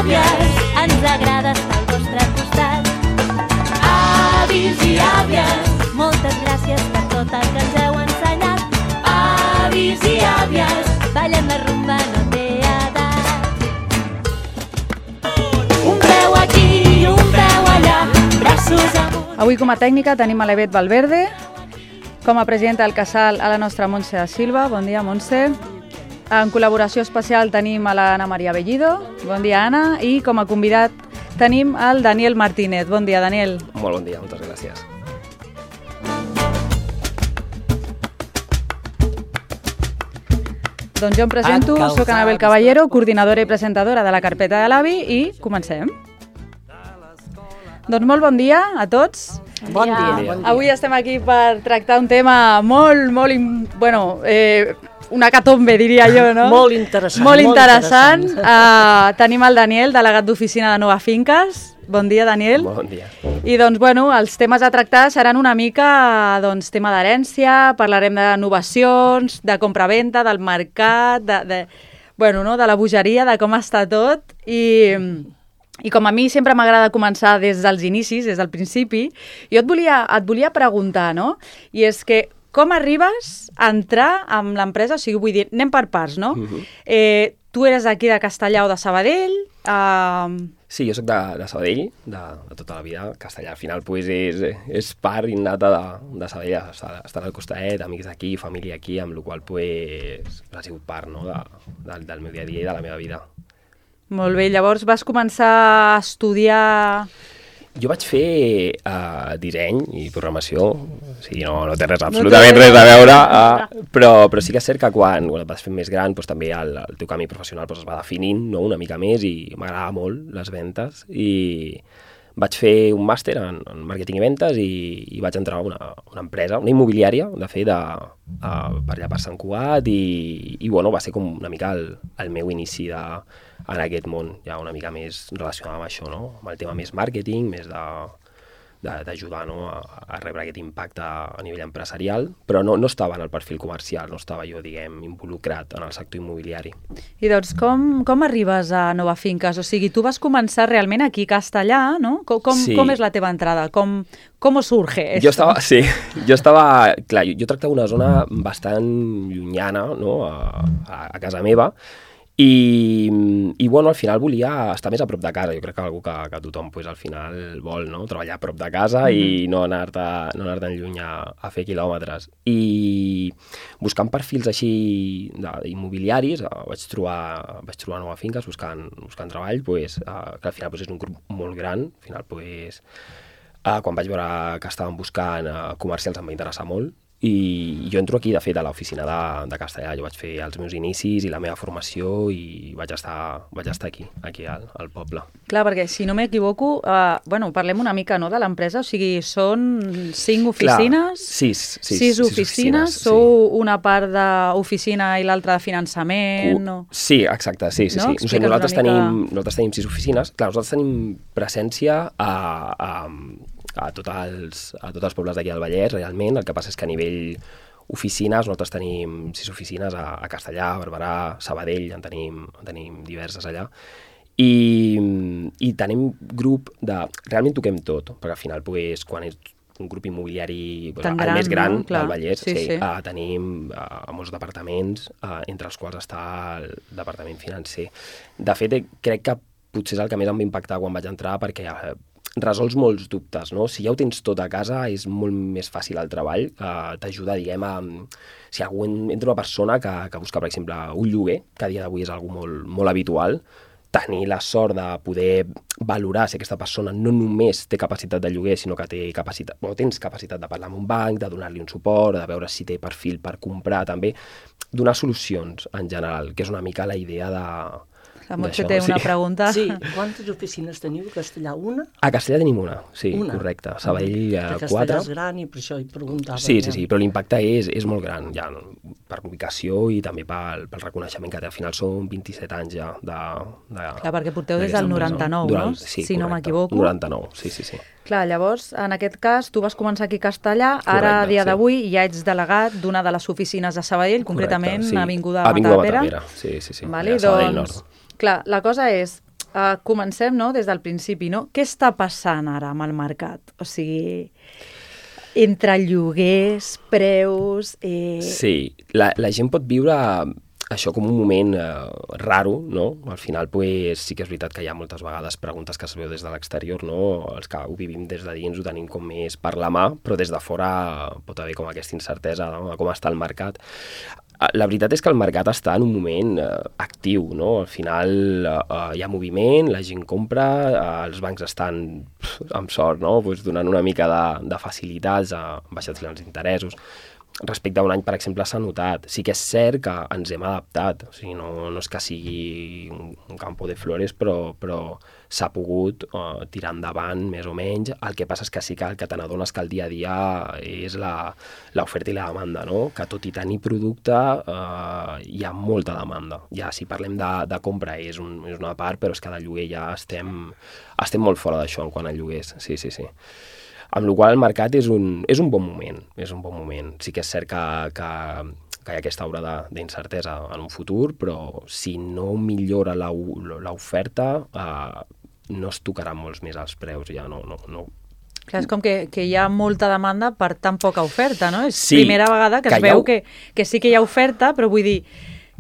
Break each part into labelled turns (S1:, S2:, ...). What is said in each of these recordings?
S1: àvies, ens agrada estar al vostre costat. Avis i àvies, moltes gràcies per tot el que ens heu ensenyat. Avis i àvies, ballem la rumba, no té edat. Un peu aquí i un peu allà, braços amunt.
S2: Avui com a tècnica tenim a l'Evet Valverde, com a presidenta del casal a la nostra Montse da Silva. Bon dia, Montse. En col·laboració especial tenim a l'Anna Maria Bellido. Bon dia, Anna. I com a convidat tenim el Daniel Martínez. Bon dia, Daniel.
S3: Molt bon dia, moltes gràcies.
S2: Doncs jo em presento, soc Anabel Caballero, coordinadora i presentadora de la carpeta de l'AVI i comencem. Doncs molt bon dia a tots.
S4: Bon dia.
S2: Avui estem aquí per tractar un tema una hecatombe, diria jo, no?
S4: Molt interessant.
S2: Molt interessant. Tenim el Daniel, delegat d'oficina de Nova Finques. Bon dia, Daniel.
S3: Molt bon dia.
S2: I doncs, els temes a tractar seran una mica tema d'herència, parlarem d'innovacions, de compra-venta, del mercat, de la bogeria, de com està tot. I com a mi sempre m'agrada començar des dels inicis, des del principi, jo et volia preguntar, no? I és que com arribes a entrar amb l'empresa? O sigui, vull dir, anem per parts, no? Tu eres d'aquí de Castellà o de Sabadell?
S3: Sí, jo soc de Sabadell, de tota la vida. Castellà, al final, és part innata de Sabadell, estar al costat, amics d'aquí, família aquí, amb la qual ha sigut part, no?, del meu dia a dia i de la meva vida.
S2: Molt bé, llavors vas començar a estudiar...
S3: Jo vaig fer disseny i programació, o sigui, no té absolutament res a veure, però sí que és cert que quan et vas fent més gran també el teu camí professional es va definint una mica més i m'agradava molt les ventes i vaig fer un màster en màrqueting i ventes i vaig entrar a una empresa, una immobiliària, de fet, per allà per Sant Cugat i va ser com una mica el meu inici en aquest món, ja una mica més relacionat amb això, no? Amb el tema més màrqueting, més d'ajudar a rebre aquest impacte a nivell empresarial, però no estava en el perfil comercial, no estava jo, involucrat en el sector immobiliari.
S2: I doncs com arribes a Nova Finques? O sigui, tu vas començar realment aquí a Castellà, no? Com és la teva entrada? Com surge esto?
S3: Jo tractava una zona bastant llunyana, no?, a casa meva, i al final volia estar més a prop de casa. Jo crec que algú que tothom al final vol, no?, treballar a prop de casa i no anar-te'n lluny a fer quilòmetres. I buscant perfils així immobiliaris vaig trobar Nova Finques buscant treball, que al final és un grup molt gran. Al final quan vaig veure que estaven buscant comercials em va interessar molt. I jo entro aquí, de fet, a l'oficina de Castellà. Jo vaig fer els meus inicis i la meva formació i vaig estar aquí al poble.
S2: Clar, perquè si no m'equivoco, parlem una mica, no?, de l'empresa. O sigui, són 5 oficines?
S3: Clar,
S2: 6 oficines. Sou una part d'oficina i l'altra de finançament?
S3: Sí, exacte, sí.
S2: No?
S3: Nosaltres tenim 6 oficines. Clar, nosaltres tenim presència a tots els pobles d'aquí del Vallès, realment. El que passa és que a nivell oficines, nosaltres tenim 6 oficines a Castellà, a Barberà, Sabadell, en tenim diverses allà. I tenim grup realment toquem tot, perquè al final, quan és un grup immobiliari el més gran del Vallès, tenim molts departaments, entre els quals està el departament financer. De fet, crec que potser és el que més em va impactar quan vaig entrar, perquè resols molts dubtes, no? Si ja ho tens tot a casa, és molt més fàcil el treball. T'ajuda, si algú entra una persona que busca, per exemple, un lloguer, que a dia d'avui és algo molt, molt habitual, tenir la sort de poder valorar si aquesta persona no només té capacitat de lloguer, sinó que tens capacitat de parlar amb un banc, de donar-li un suport, de veure si té perfil per comprar, també donar solucions en general, que és una mica la idea de...
S2: La Montse té una pregunta.
S4: Sí, quantes oficines teniu a Castellà? Una?
S3: A Castellà tenim una, sí, correcte. Sabadell 4.
S4: Castellà és gran i per això hi preguntava.
S3: Sí, però l'impacte és molt gran, ja, per ubicació i també pel reconeixement que té. Al final són 27 anys ja de...
S2: Clar, perquè porteu des del 99, no?
S3: Sí,
S2: si no m'equivoco.
S3: 99, sí.
S2: Clar, llavors, en aquest cas, tu vas començar aquí a Castellà, ara, a dia d'avui, ja ets delegat d'una de les oficines de Sabadell, concretament, Avinguda Matapera.
S3: Sí.
S2: Vale, doncs, clar, la cosa és, comencem, no?, des del principi, no? Què està passant ara amb el mercat? O sigui, entre lloguers, preus...
S3: Sí, la gent pot viure això com un moment raro, no? Al final, pues, sí que és veritat que hi ha moltes vegades preguntes que es veu des de l'exterior, no? Els que ho vivim des de dins ho tenim com més per la mà, però des de fora pot haver com aquesta incertesa, no?, de com està el mercat. La veritat és que el mercat està en un moment actiu, no? Al final hi ha moviment, la gent compra, els bancs estan, amb sort, no?, pues, donant una mica de facilitats, baixats els interessos. Respecte a un any, per exemple, s'ha notat. Sí que és cert que ens hem adaptat. O sigui, no és que sigui un campo de flores, però s'ha pogut tirar endavant, més o menys. El que passa és que sí que el que te n'adones que el dia a dia és l'oferta i la demanda, no? Que tot i tenir producte hi ha molta demanda. Ja si parlem de compra és una part, però és que de lloguer ja estem molt fora d'això en quant a lloguers. Sí. Amb la qual cosa el mercat és un bon moment, Sí que és cert que hi ha aquesta aura d'incertesa en un futur, però si no millora l'oferta, no es tocaran molts més els preus, ja no.
S2: Clar, és com que hi ha molta demanda per tan poca oferta, no? És
S3: Sí,
S2: primera vegada que es veu que sí que hi ha oferta, però vull dir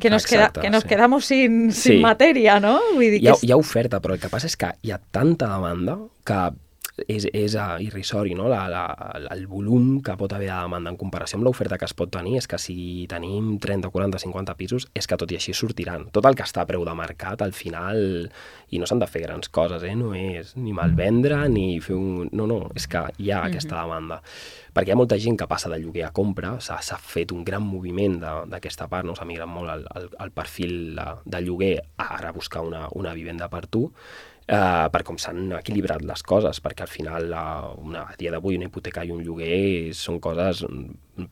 S2: que nos quedamos sin matèria, no? Vull dir
S3: hi ha oferta, però el que passa és que hi ha tanta demanda que és irrisori, no? El volum que pot haver de demanda en comparació amb l'oferta que es pot tenir és que si tenim 30, 40, 50 pisos és que tot i així sortiran. Tot el que està a preu de mercat, al final, i no s'han de fer grans coses, no és ni malvendre ni fer un... No, és que hi ha aquesta demanda. Perquè hi ha molta gent que passa de lloguer a compra, s'ha fet un gran moviment d'aquesta part, no? S'ha migrat molt el perfil de lloguer a ara buscar una vivenda per tu, per com s'han equilibrat les coses, perquè al final a dia d'avui una hipoteca i un lloguer són coses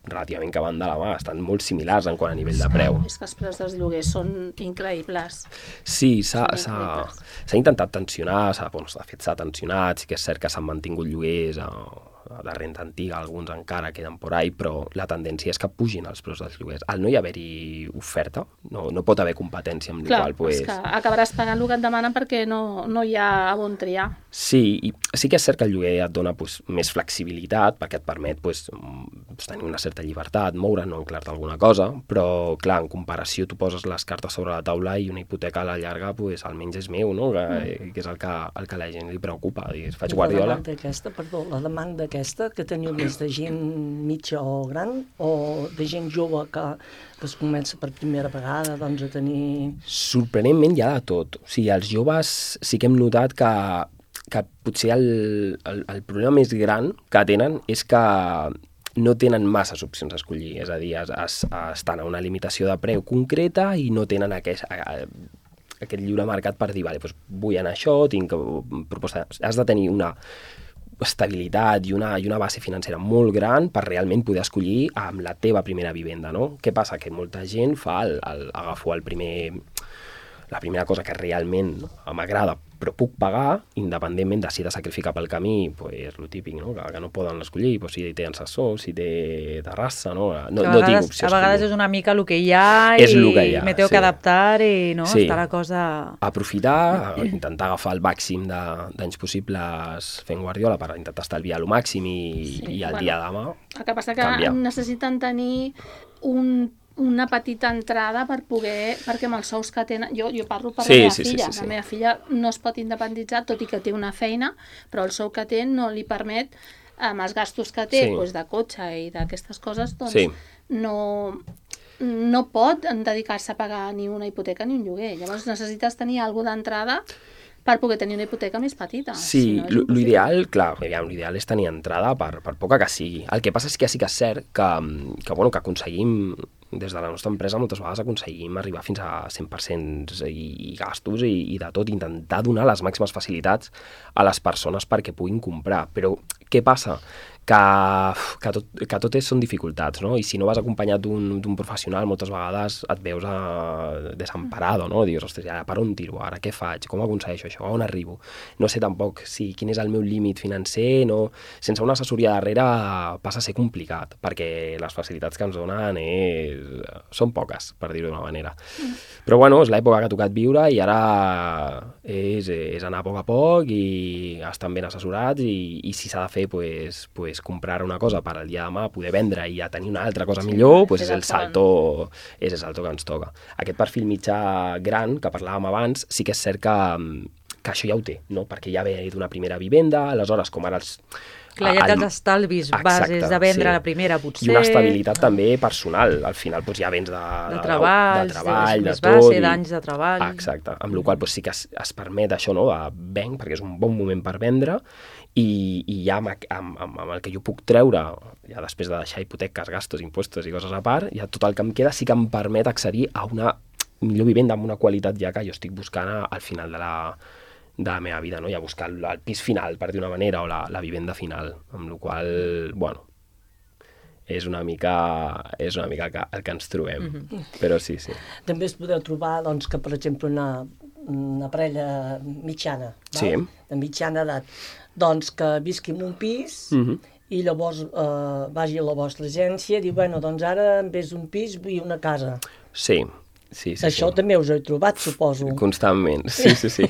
S3: relativament que van de la mà, estan molt similars en quant a nivell de preu.
S5: És que els preus dels lloguers són increïbles.
S3: Sí, s'ha intentat tensionar, de fet s'ha tensionat, sí que és cert que s'han mantingut lloguers de renta antiga, alguns encara queden por ahí, però la tendència és que pugin els preus dels lloguers. Al no hi haver-hi oferta, no pot haver competència amb
S5: Clar,
S3: la qual...
S5: és que acabaràs pagant el que et demanen perquè no hi ha a on triar.
S3: Sí, i sí que és cert que el lloguer et dona més flexibilitat, perquè et permet tenir una certa llibertat, moure, no enclar-te alguna cosa, però, clar, en comparació tu poses les cartes sobre la taula i una hipoteca a la llarga, almenys és meu, no? Que és el que a la gent li preocupa. Faig Guardiola.
S4: La demanda aquesta, que teniu més de gent mitja o gran, o de gent jove que es comença per primera vegada a tenir...
S3: Sorprenentment hi ha de tot. O sigui, els joves sí que hem notat que potser el problema més gran que tenen és que no tenen masses opcions a escollir, és a dir, estan a una limitació de preu concreta i no tenen aquest lliure mercat per dir, vale, vull anar a això, tinc proposta... Has de tenir una estabilitat i una base financera molt gran per realment poder escollir amb la teva primera vivenda, no? Què passa? Que molta gent agafo la primera cosa que realment m'agrada però puc pagar, independentment de si he de sacrificar pel camí, el típic, no? Que no poden escollir, si té assessor, si té terrassa, no tinc opció.
S2: A vegades és una mica el que hi ha i me tengo que adaptar i està la cosa...
S3: Aprofitar, intentar agafar el màxim d'anys possibles fent Guardiola per intentar estalviar el màxim i el dia de demà
S5: el que passa que necessiten tenir una petita entrada perquè amb els sous que tenen... Jo parlo per la meva filla. La meva filla no es pot independitzar, tot i que té una feina, però el sou que té no li permet, amb els gastos que té de cotxe i d'aquestes coses, no pot dedicar-se a pagar ni una hipoteca ni un lloguer. Llavors necessites tenir alguna d'entrada per poder tenir una hipoteca més petita.
S3: Sí, l'ideal, clar, l'ideal és tenir entrada per poca que sigui. El que passa és que sí que és cert que aconseguim, des de la nostra empresa, moltes vegades aconseguim arribar fins a 100% i gastos i de tot, intentar donar les màximes facilitats a les persones perquè puguin comprar. Però què passa? que tot són dificultats, no? I si no vas acompanyat d'un professional, moltes vegades et veus desemparado, no? Dius, ostres, ara per on tiro, ara què faig, com aconsegueixo això, a on arribo? No sé tampoc quin és el meu límit financer, no? Sense una assessoria darrere passa a ser complicat, perquè les facilitats que ens donen són poques, per dir-ho d'una manera. Però bueno, és l'època que ha tocat viure i ara és anar a poc i estar ben assessorats i si s'ha de fer, pues comprar una cosa per al dia de demà, poder vendre i a tenir una altra cosa millor, pues és el salto que ens toca. Aquest perfil mitjà gran que parlàvem abans, sí que és cert que això ja ho té, no? Perquè ja ve d'una primera vivenda, aleshores com ara
S2: Clar, ja tens estalvis bases de vendre la primera, potser.
S3: I una estabilitat també personal. Al final ja vens de
S2: treball,
S3: de tot.
S2: d'anys de treball.
S3: Exacte. Amb la qual cosa sí que es permet això, no? Venc, perquè és un bon moment per vendre, i ja amb el que jo puc treure, ja després de deixar hipoteques, gastos, impostos i coses a part, ja tot el que em queda sí que em permet accedir a una millor vivenda amb una qualitat ja que jo estic buscant al final de la meva vida, no? Ja buscar el pis final, per dir una manera, o la vivenda final, amb la qual cosa, bueno, és una mica el que ens trobem, però sí.
S4: També es podeu trobar, doncs, que, per exemple, una parella mitjana,
S3: sí,
S4: de mitjana edat, doncs que visqui en un pis i llavors vagi a la vostra agència i diu, bueno, doncs ara en vez d'un pis vull una casa.
S3: Sí.
S4: Això també us heu trobat, suposo.
S3: Constantment, sí.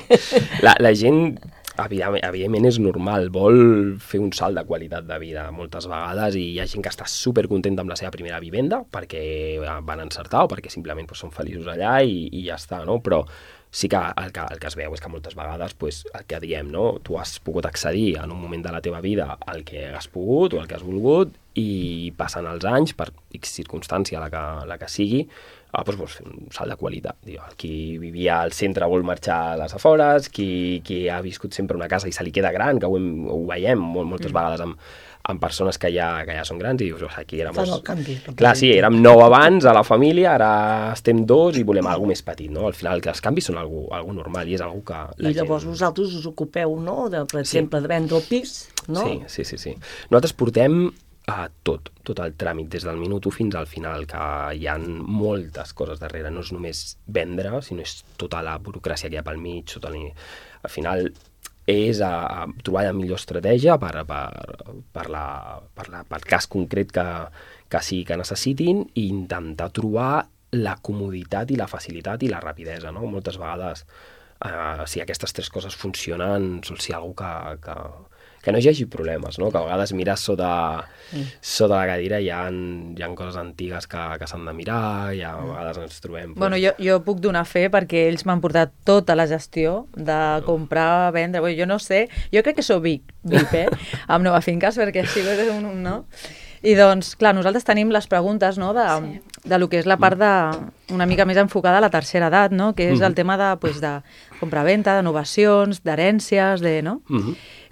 S3: La gent, evidentment, és normal, vol fer un salt de qualitat de vida moltes vegades i hi ha gent que està supercontenta amb la seva primera vivenda perquè van encertar o perquè simplement són feliços allà i ja està, no? Però sí que el que es veu és que moltes vegades el que diem, no? Tu has pogut accedir en un moment de la teva vida al que has pogut o al que has volgut i passen els anys, per X circumstància, la que sigui, vols fer un salt de qualitat. Qui vivia al centre vol marxar a les afores, qui ha viscut sempre una casa i se li queda gran, que ho veiem moltes vegades amb persones que ja són grans i dius, aquí érem...
S4: Fan el canvi.
S3: Clar, sí, érem 9 abans a la família, ara estem 2 i volem alguna més petit, no? Al final els canvis són algo normal i és algo que la gent...
S4: I llavors vosaltres us ocupeu, no?, per exemple, de vendre el pis, no?
S3: Sí. Nosaltres portem tot el tràmit, des del minut 1 fins al final, que hi ha moltes coses darrere, no és només vendre, sinó és tota la burocràcia que hi ha pel mig, al final és trobar la millor estratègia per cas concret que sigui que necessitin i intentar trobar la comoditat i la facilitat i la rapidesa, no? Moltes vegades, si aquestes 3 coses funcionen, sol ser algú que no hi hagi problemes, no? Que a vegades mires sota la cadira i hi ha coses antigues que s'han de mirar i a vegades ens trobem...
S2: Bueno, jo puc donar fe perquè ells m'han portat tota la gestió de comprar, vendre... Bueno, jo no sé, jo crec que sóc VIP, amb Nova Finques, perquè així no? I doncs, clar, nosaltres tenim les preguntes, no?, de lo que és la part una mica més enfocada a la tercera edat, no?, que és el tema de compra-venta, d'innovacions, d'herències, no?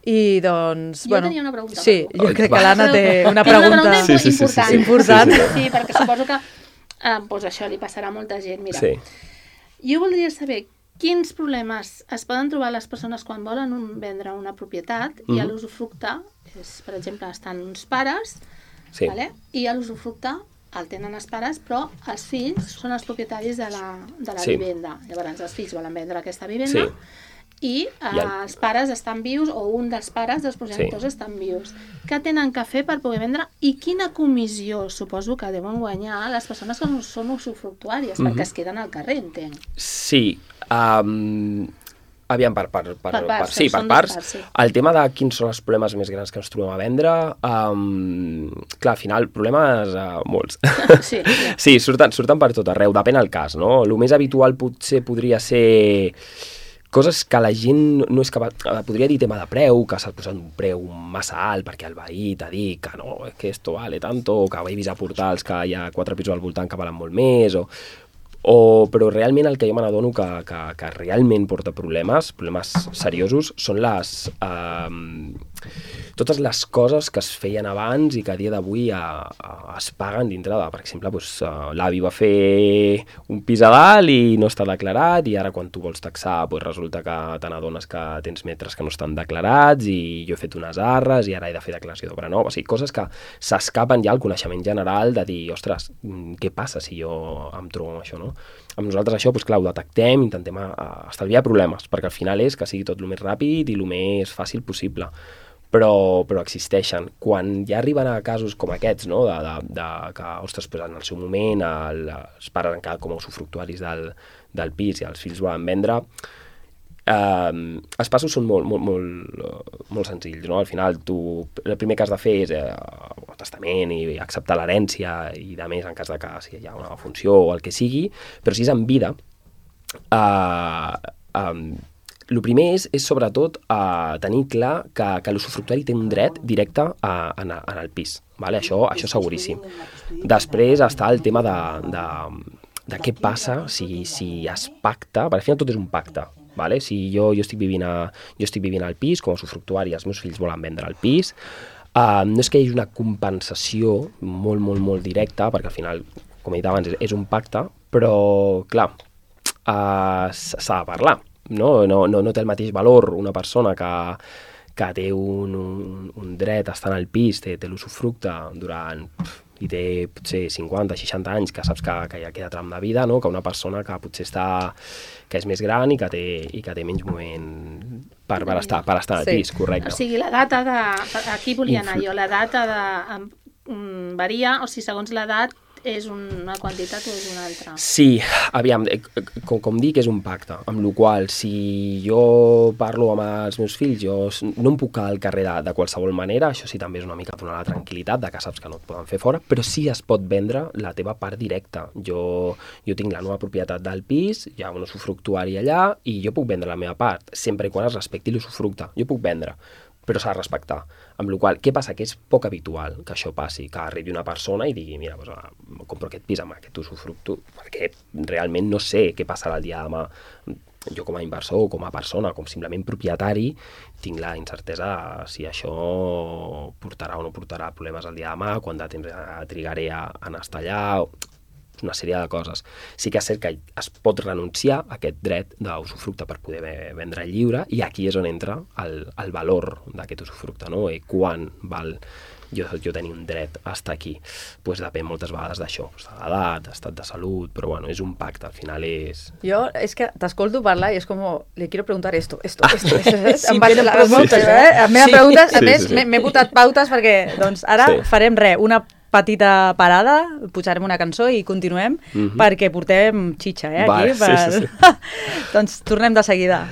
S2: I doncs,
S5: jo tenia una pregunta.
S2: Sí, jo crec que l'Anna té una pregunta important.
S5: Sí, perquè suposo que això li passarà a molta gent. Mira, jo voldria saber quins problemes es poden trobar les persones quan volen vendre una propietat i a l'usufructe, per exemple, estan uns pares, i a l'usufructe el tenen els pares, però els fills són els propietaris de la vivenda. Llavors, els fills volen vendre aquesta vivenda i els pares estan vius, o un dels pares dels progenitors estan vius. Què tenen que fer per poder vendre i quina comissió suposo que deuen guanyar les persones que són usufructuàries, perquè es queden al carrer, entenc.
S3: Sí, aviam, per parts. El tema de quins són els problemes més grans que ens trobem a vendre, clar, al final, problemes molts. Sí, surten per tot arreu, depèn del cas, no? El més habitual potser podria ser coses que la gent no és capaç... Podria dir tema de preu, que s'ha posat un preu massa alt perquè el veí t'ha dit que no, que esto vale tanto, o que he vist a portals que hi ha 4 pisos al voltant que valen molt més, Però realment el que jo me n'adono que realment porta problemes seriosos, són totes les coses que es feien abans i que a dia d'avui es paguen dintre de, per exemple, l'avi va fer un pis a dalt i no està declarat, i ara quan tu vols taxar resulta que te n'adones que tens metres que no estan declarats, i jo he fet unes arres i ara he de fer declaració d'obra nova. O sigui, coses que s'escapen ja al coneixement general de dir, ostres, què passa si jo em trobo amb això, no? Amb nosaltres això, doncs clar, ho detectem, intentem estalviar problemes, perquè al final és que sigui tot el més ràpid i el més fàcil possible. Però existeixen. Quan ja arriben a casos com aquests, no? de que, ostres, pues en el seu moment els pares han quedat com a usufructuaris del pis i els fills volen vendre, els passos són molt senzills, no? Al final el primer que has de fer és el testament i acceptar l'herència i de més en cas de que si hi ha una funció o el que sigui, però si és en vida, el primer és sobretot tenir clar que l'usufructuari té un dret directe en el pis, vale? Això seguríssim. Després està el tema de què passa si es pacta, perquè al final tot és un pacte, vale? Si jo estic vivint al pis com a usufructuari i els meus fills volen vendre el pis, no és que hi hagi una compensació molt directa, perquè al final, com he dit abans, és un pacte, però clar, s'ha de parlar. No té el mateix valor una persona que té un dret a estar en el pis, té l'usufructe durant i té potser 50-60 anys, que saps que ja queda tram de vida, no? Que una persona que potser que és més gran i que té menys moment per estar al pis, correcte.
S5: O sigui, la data aquí volia anar jo, la data varia, o sigui, segons l'edat és una quantitat o és una altra?
S3: Sí, aviam, com dic, és un pacte, amb la qual si jo parlo amb els meus fills, jo no em puc quedar al carrer de qualsevol manera, això sí també és una mica donar la tranquil·litat de que saps que no et poden fer fora, però sí es pot vendre la teva part directa. Jo tinc la nova propietat del pis, hi ha un usufructuari allà i jo puc vendre la meva part, sempre i quan es respecti l'usufructe. Jo puc vendre, però s'ha de respectar. Amb la qual cosa, què passa? Que és poc habitual que això passi, que arribi una persona i digui, mira, compro aquest pis amb aquest usufructe, perquè realment no sé què passarà el dia de demà. Jo com a inversor o com a persona, com simplement propietari, tinc la incertesa si això portarà o no portarà problemes el dia de demà, quant de temps trigaré a estar allà, una sèrie de coses. Sí que és cert que es pot renunciar a aquest dret d'usufructe per poder vendre lliure, i aquí és on entra el valor d'aquest usufructe, no? I quan val jo tenir un dret a estar aquí. Doncs depèn moltes vegades d'això, de l'edat, estat de salut, però bueno, és un pacte, al final és...
S2: Jo és que t'escolto parlar i és com, le quiero preguntar esto.
S3: Sí,
S2: em vaig les preguntes, em meva preguntes, a més m'he botat pautes perquè doncs ara farem una petita parada, pujarem una cançó i continuem, perquè portem xitxa, aquí.
S3: Sí.
S2: Doncs tornem de seguida.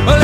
S6: Well,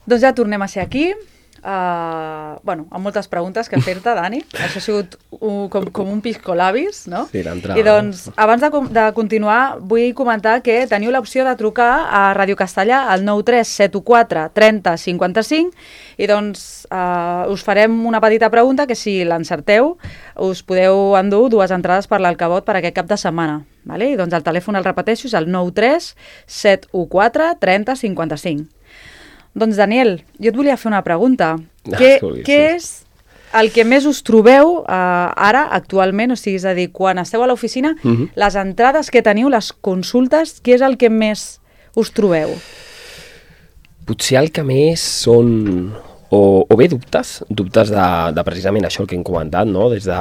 S2: Doncs ja tornem a ser aquí. Bueno, amb moltes preguntes que fer-te, Dani. Això ha sigut com un piscolabis, no?
S3: Sí, l'entrada.
S2: I doncs, abans de continuar, vull comentar que teniu l'opció de trucar a Ràdio Castellà al 93 714 30 55 i doncs us farem una petita pregunta que si l'encerteu us podeu endur 2 entrades per l'Alcavot per aquest cap de setmana. Vale? I doncs el telèfon, el repeteixo, és el 93 714 30 55. Doncs, Daniel, jo et volia fer una pregunta. Què és el que més us trobeu ara, actualment? O sigui, és a dir, quan esteu a l'oficina, les entrades que teniu, les consultes, què és el que més us trobeu?
S3: Potser el que més són o bé dubtes de precisament això el que hem comentat, no? Des de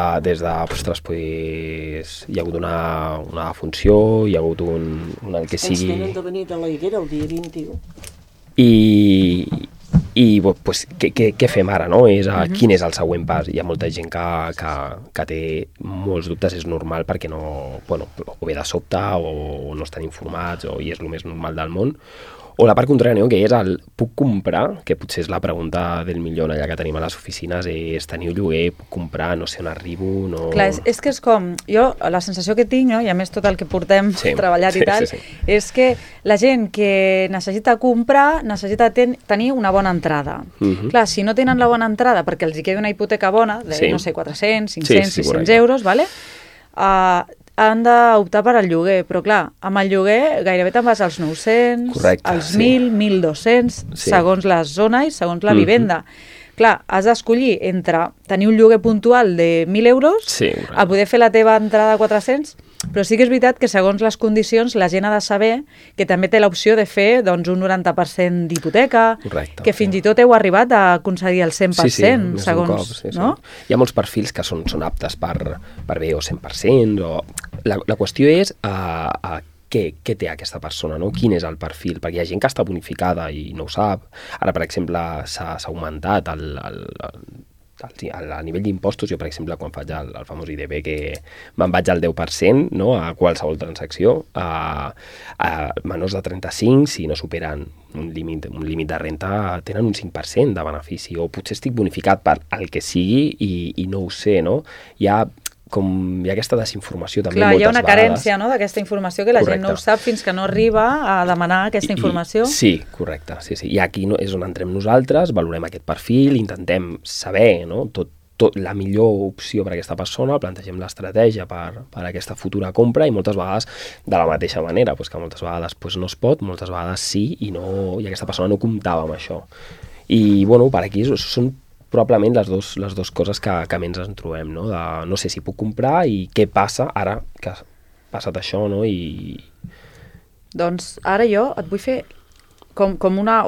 S3: ostres, pues, hi ha hagut una funció, hi ha hagut el que sigui...
S4: Ens tenen de venir de la Higuera el dia 21.
S3: I pues, què fem ara, no? Quin és el següent pas? Hi ha molta gent que té molts dubtes, és normal perquè no, bueno, o ve de sobte o no estan informats i és el més normal del món. O la part contrària, no? Que és el puc comprar, que potser és la pregunta del milió allà que tenim a les oficines, és teniu lloguer, puc comprar, no sé on arribo... No...
S2: Clar, és que és com... Jo, la sensació que tinc, no? I a més tot el que portem treballat i tal, és que la gent que necessita comprar necessita tenir una bona entrada. Clar, si no tenen la bona entrada perquè els hi queda una hipoteca bona, de, no sé, 400, 500, 600 euros, vale? Han d'optar per al lloguer, però clar, amb el lloguer gairebé te'n vas als 900, als 1.000, 1.200, segons la zona i segons la vivenda. Clar, has d'escollir entre tenir un lloguer puntual de 1.000 euros a poder fer la teva entrada de 400, però sí que és veritat que segons les condicions la gent ha de saber que també té l'opció de fer doncs, un 90% d'hipoteca, que fins i tot heu arribat a concedir el 100%, segons... No?
S3: Hi ha molts perfils que són aptes per bé o 100%, la qüestió és què té aquesta persona, no? Quin és el perfil, perquè hi ha gent que està bonificada i no ho sap. Ara, per exemple, s'ha augmentat a nivell d'impostos. Jo, per exemple, quan faig el famós IDB, que me'n vaig al 10%, no? A qualsevol transacció, a menors de 35, si no superen un límit de renta, tenen un 5% de benefici, o potser estic bonificat per el que sigui i no ho sé, no? Hi ha aquesta desinformació també moltes vegades. Clar, hi ha
S2: una carència, no?, d'aquesta informació que la gent no ho sap fins que no arriba a demanar aquesta informació.
S3: Sí, correcte. Sí. I aquí és on entrem nosaltres, valorem aquest perfil, intentem saber, no?, la millor opció per a aquesta persona, plantegem l'estratègia per a aquesta futura compra i moltes vegades de la mateixa manera, que moltes vegades no es pot, moltes vegades sí i aquesta persona no comptava amb això. I, bueno, per aquí són probablement les dues coses que més ens trobem, no? No sé si puc comprar i què passa ara que ha passat això, no?
S2: Doncs ara jo et vull fer com una...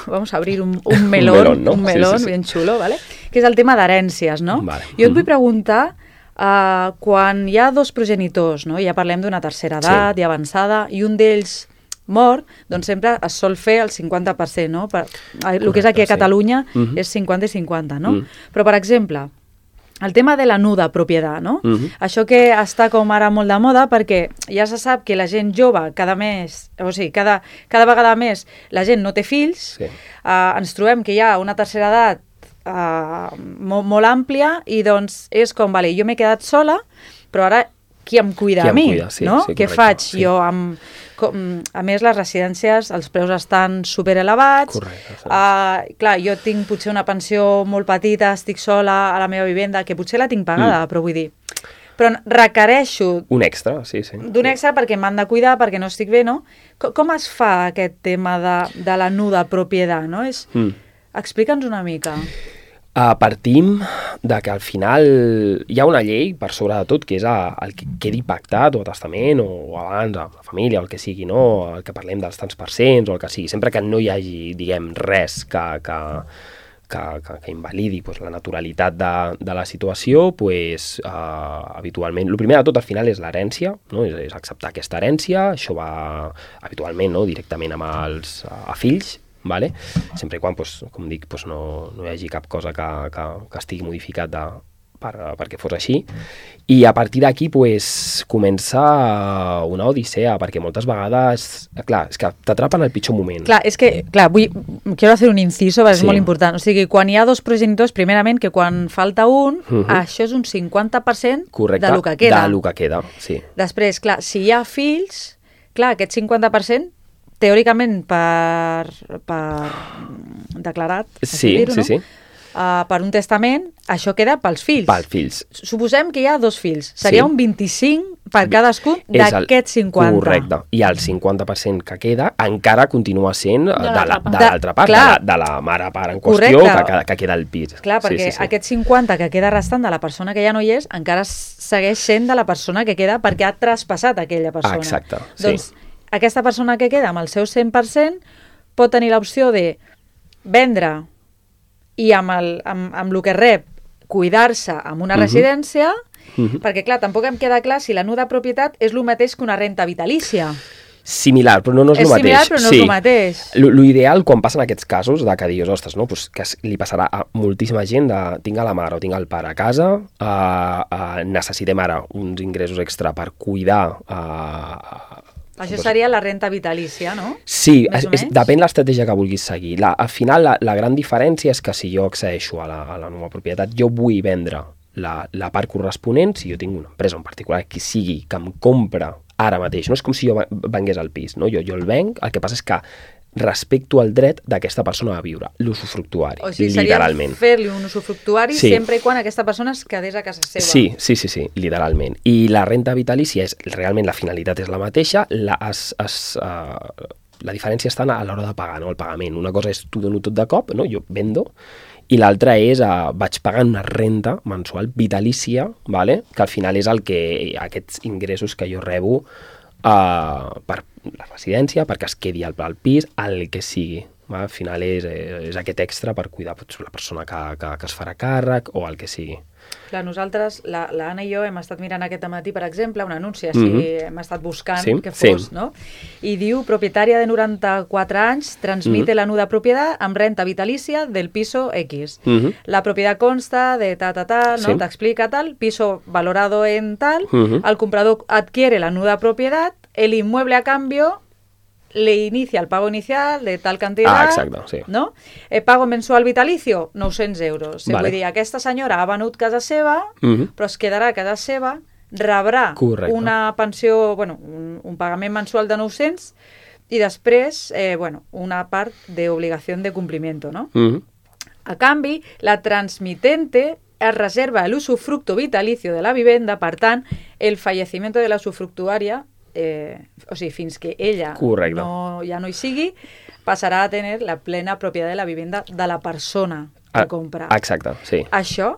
S2: vamos a abrir un melón,
S3: ¿no?
S2: Un melón bien xulo, ¿vale? Que és el tema d'herències, no?
S3: Vale.
S2: Jo et vull preguntar, quan hi ha dos progenitors, no? Ja parlem d'una tercera edat i avançada, i un d'ells mort, doncs sempre es sol fer el 50%, no? El que és aquí a Catalunya és 50 i 50, no? Però, per exemple, el tema de la nuda propietat, no? Això que està com ara molt de moda, perquè ja se sap que la gent jove cada vegada més la gent no té fills, ens trobem que hi ha una tercera edat molt àmplia i doncs és com, vale, jo m'he quedat sola, però ara qui em cuida a mi, no? Què faig jo amb... A més, les residències, els preus estan superelevats. Clar, jo tinc potser una pensió molt petita, estic sola a la meva vivenda, que potser la tinc pagada, però vull dir... Però requereixo...
S3: Un extra, sí.
S2: D'un extra perquè m'han de cuidar, perquè no estic bé, no? Com es fa aquest tema de la nuda propietat, no? Explica'ns una mica.
S3: Partim de que al final hi ha una llei, per sobre de tot, que és el que quedi pactat, o a testament, o abans, a la família, o el que sigui, no? El que parlem dels tants percents, o el que sigui. Sempre que no hi hagi, diguem, res que invalidi la naturalitat de la situació, habitualment... El primer de tot, al final, és l'herència, no? És acceptar aquesta herència. Això va, habitualment, no? Directament amb a fills, vale? Sempre i quan, com dic, no hi hagi cap cosa que estigui modificat perquè fos així. I a partir d'aquí pues, comença una odissea, perquè moltes vegades, clar, és que t'atrapen al pitjor moment.
S2: Clar, és que, quiero hacer un inciso, perquè és molt important. O sigui, quan hi ha dos progenitors, primerament, que quan falta un, això és un 50%
S3: correcte,
S2: de lo que queda.
S3: De lo que queda, sí.
S2: Després, clar, si hi ha fills, clar, aquest 50%, teòricament, per declarat,
S3: sí,
S2: dir-ho, no? Per un testament, això queda pels fills.
S3: Pels fills.
S2: Suposem que hi ha 2 fills. Seria un 25 per cadascun d'aquests 50.
S3: Correcte. I el 50% que queda encara continua sent de l'altra part, de la mare-pare en qüestió, que queda al pis.
S2: Clar, perquè aquest 50 que queda restant de la persona que ja no hi és, encara segueix sent de la persona que queda perquè ha traspassat aquella persona.
S3: Exacte, sí.
S2: Doncs aquesta persona que queda amb el seu 100% pot tenir l'opció de vendre i amb el que rep cuidar-se en una residència, perquè clar, tampoc em queda clar si la nul de propietat és el mateix que una renta vitalícia.
S3: Similar, però no és el mateix.
S2: És similar, però no és el mateix.
S3: L'ideal, quan passen aquests casos, que dius, ostres, no? Pues que li passarà a moltíssima gent de tinc a la mare o tinc el pare a casa, necessitem ara uns ingressos extra per cuidar
S2: això seria la renta vitalícia, no?
S3: Sí, depèn l'estratègia que vulguis seguir. Al final, la gran diferència és que si jo accedeixo a la nova propietat, jo vull vendre la part corresponent, si jo tinc una empresa en particular que sigui, que em compra ara mateix. No és com si jo vengués el pis, no? Jo el venc, el que passa és que respecto al dret d'aquesta persona a viure, l'usufructuari, literalment.
S2: O sigui, seria fer-li un usufructuari sempre i quan aquesta persona es quedés a casa seva.
S3: Sí, literalment. I la renta vitalícia realment la finalitat és la mateixa, la diferència està a l'hora de pagar, no? El pagament. Una cosa és t'ho dono tot de cop, no? Jo vendo, i l'altra és vaig pagant una renta mensual vitalícia, vale? Que al final és aquests ingressos que jo rebo per la residència, perquè es quedi al pis, el que sigui. Al final és aquest extra per cuidar la persona que es farà càrrec o el que sigui.
S2: Clar, nosaltres, l'Anna i jo hem estat mirant aquest matí, per exemple, un anunci, hem estat buscant que fos, no? I diu, propietària de 94 anys, transmite la nuda propietat amb renta vitalícia del piso X. La propietat consta de tal, ¿no? T'explica tal, piso valorado en tal, el comprador adquiere la nuda propiedad, el inmueble a cambio le inicia el pago inicial de tal cantidad,
S3: exacte, sí.
S2: ¿no? Pago mensual vitalicio, 900 euros. Vale. Vull dir, aquesta senyora ha venut casa seva, però es quedarà a casa seva, rebrà una pensió, un pagament mensual de 900 i després, una part d'obligació de compliment, ¿no? A canvi, la transmitente es reserva el usufructo vitalicio de la vivienda, per tant, el fallecimiento de la usufructuària o sigui, fins que ella ja no hi sigui, passarà a tenir la plena propietat de la vivenda de la persona que compra.
S3: Exacte, sí.
S2: Això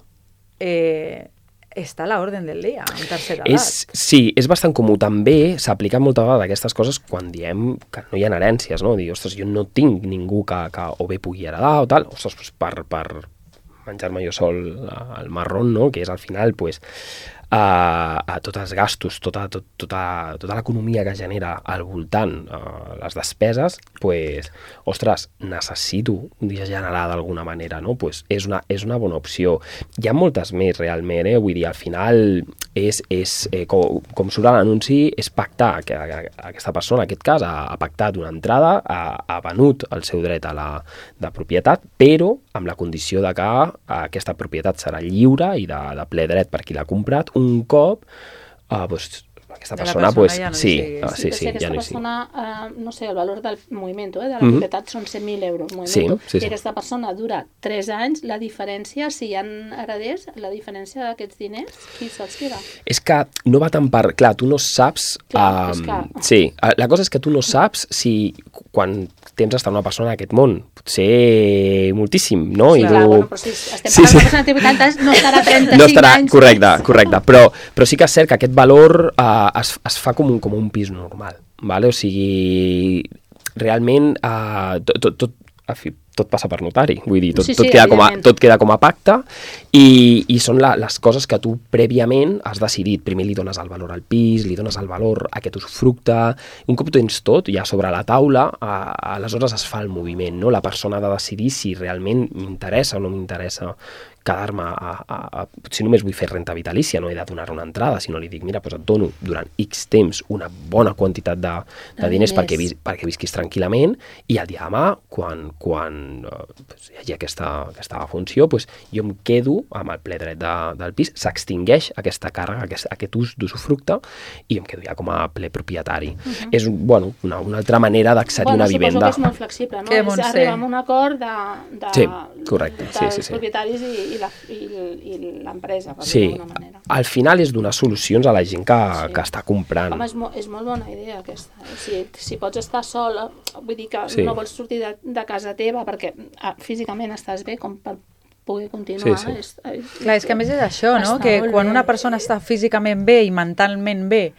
S2: està a l'ordre del dia, en tercera edat.
S3: Sí, és bastant comú. També s'apliquen moltes vegades aquestes coses quan diem que no hi ha herències, no? Dir, ostres, jo no tinc ningú que o bé pugui heredar o tal, ostres, per menjar-me jo sol el marrón, no? Que és al final, pues, a tots els gastos, tota l'economia que genera al voltant, les despeses, pues, ostres, necessito generar d'alguna manera, no? Pues és una bona opció. Hi ha moltes més, realment, vull dir, al final com surt a l'anunci, és pactar, que aquesta persona, en aquest cas, ha pactat una entrada, ha venut el seu dret de propietat, però amb la condició de que aquesta propietat serà lliure i de ple dret per qui l'ha comprat, un cop aquesta persona
S2: ja no
S3: sí,
S5: aquesta persona, no sé, el valor del moviment de la propietat són 100.000 euros, i aquesta persona dura 3 anys, la diferència, si hi ha hereders, la diferència d'aquests diners, qui se'ls queda?
S3: És que no va tant per... Clar, tu no saps... Sí, la cosa és que tu no saps si quan temps està una persona en aquest món, potser moltíssim, no?
S5: Però si estem parlant d'una persona de 80 anys, no estarà 35 anys.
S3: Correcte, però sí que és cert que aquest valor es fa com un pis normal, vale? O sigui, realment tot passa per notari, vull dir, tot queda com a pacte i són les coses que tu prèviament has decidit. Primer li dones el valor al pis, li dones el valor a aquest usufructe, un cop ho tens tot ja sobre la taula, aleshores es fa el moviment, no? La persona ha de decidir si realment m'interessa o no m'interessa quedar-me si només vull fer renta vitalícia, no he de donar una entrada, sinó li dic, mira, doncs et dono durant X temps una bona quantitat de diners perquè visquis tranquil·lament, i el dia demà, quan hi hagi aquesta funció, jo em quedo amb el ple dret del pis, s'extingeix aquesta càrrega, aquest ús d'usufructe, i em quedo ja com a ple propietari. És una altra manera d'accedir a una vivenda.
S5: Suposo que és molt flexible, no? És arribar a un acord dels propietaris i l'empresa, per dir d'alguna manera.
S3: Al final és donar solucions a la gent que està comprant.
S5: Home, és molt bona idea aquesta. Si pots estar sola, vull dir que no vols sortir de casa teva perquè físicament estàs bé com per poder continuar.
S2: Clar, és que a més és això, no? Que quan una persona està físicament bé i mentalment bé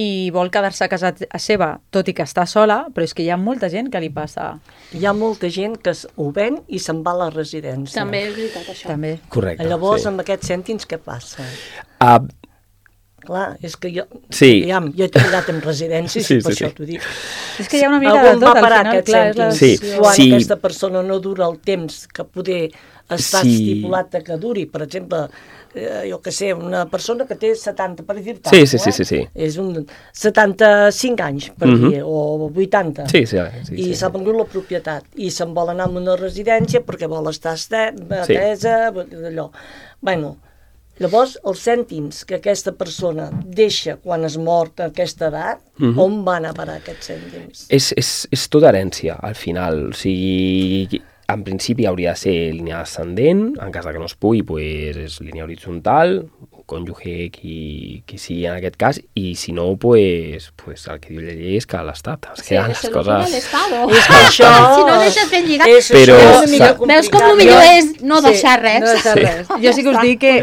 S2: i vol quedar-se a casa seva, tot i que està sola, però és que hi ha molta gent que li passa.
S4: Hi ha molta gent que ho ven i se'n va a la residència.
S5: També és veritat, això.
S2: També.
S3: Correcte.
S4: Llavors, amb aquests cèntims, què passa? Clar, és que jo he treballat en residències, per això t'ho dic.
S2: És que hi ha una mica de tot, al final, clar.
S4: Quan aquesta persona no dura el temps que poder estar estipulat que duri, per exemple, jo què sé, una persona que té 70, per dir-te.
S3: Sí.
S4: És un 75 anys, per dir, o 80. I s'ha vengut la propietat. I se'n vol anar a una residència perquè vol estar atesa, allò. Bueno, llavors, els cèntims que aquesta persona deixa quan es mor a aquesta edat, on van a parar aquests cèntims?
S3: És tota herència, al final. O sigui, en principi hauria de ser línia ascendent, en cas que no es pugui, és línia horitzontal, cònjuge qui sigui en aquest cas, i si no, el que diu la llei és que l'Estat es queden les coses...
S4: És que això...
S5: Si no deixes ben lligat...
S3: Però
S5: veus com el millor és no deixar res?
S2: No deixar res. Jo sí que us dic que,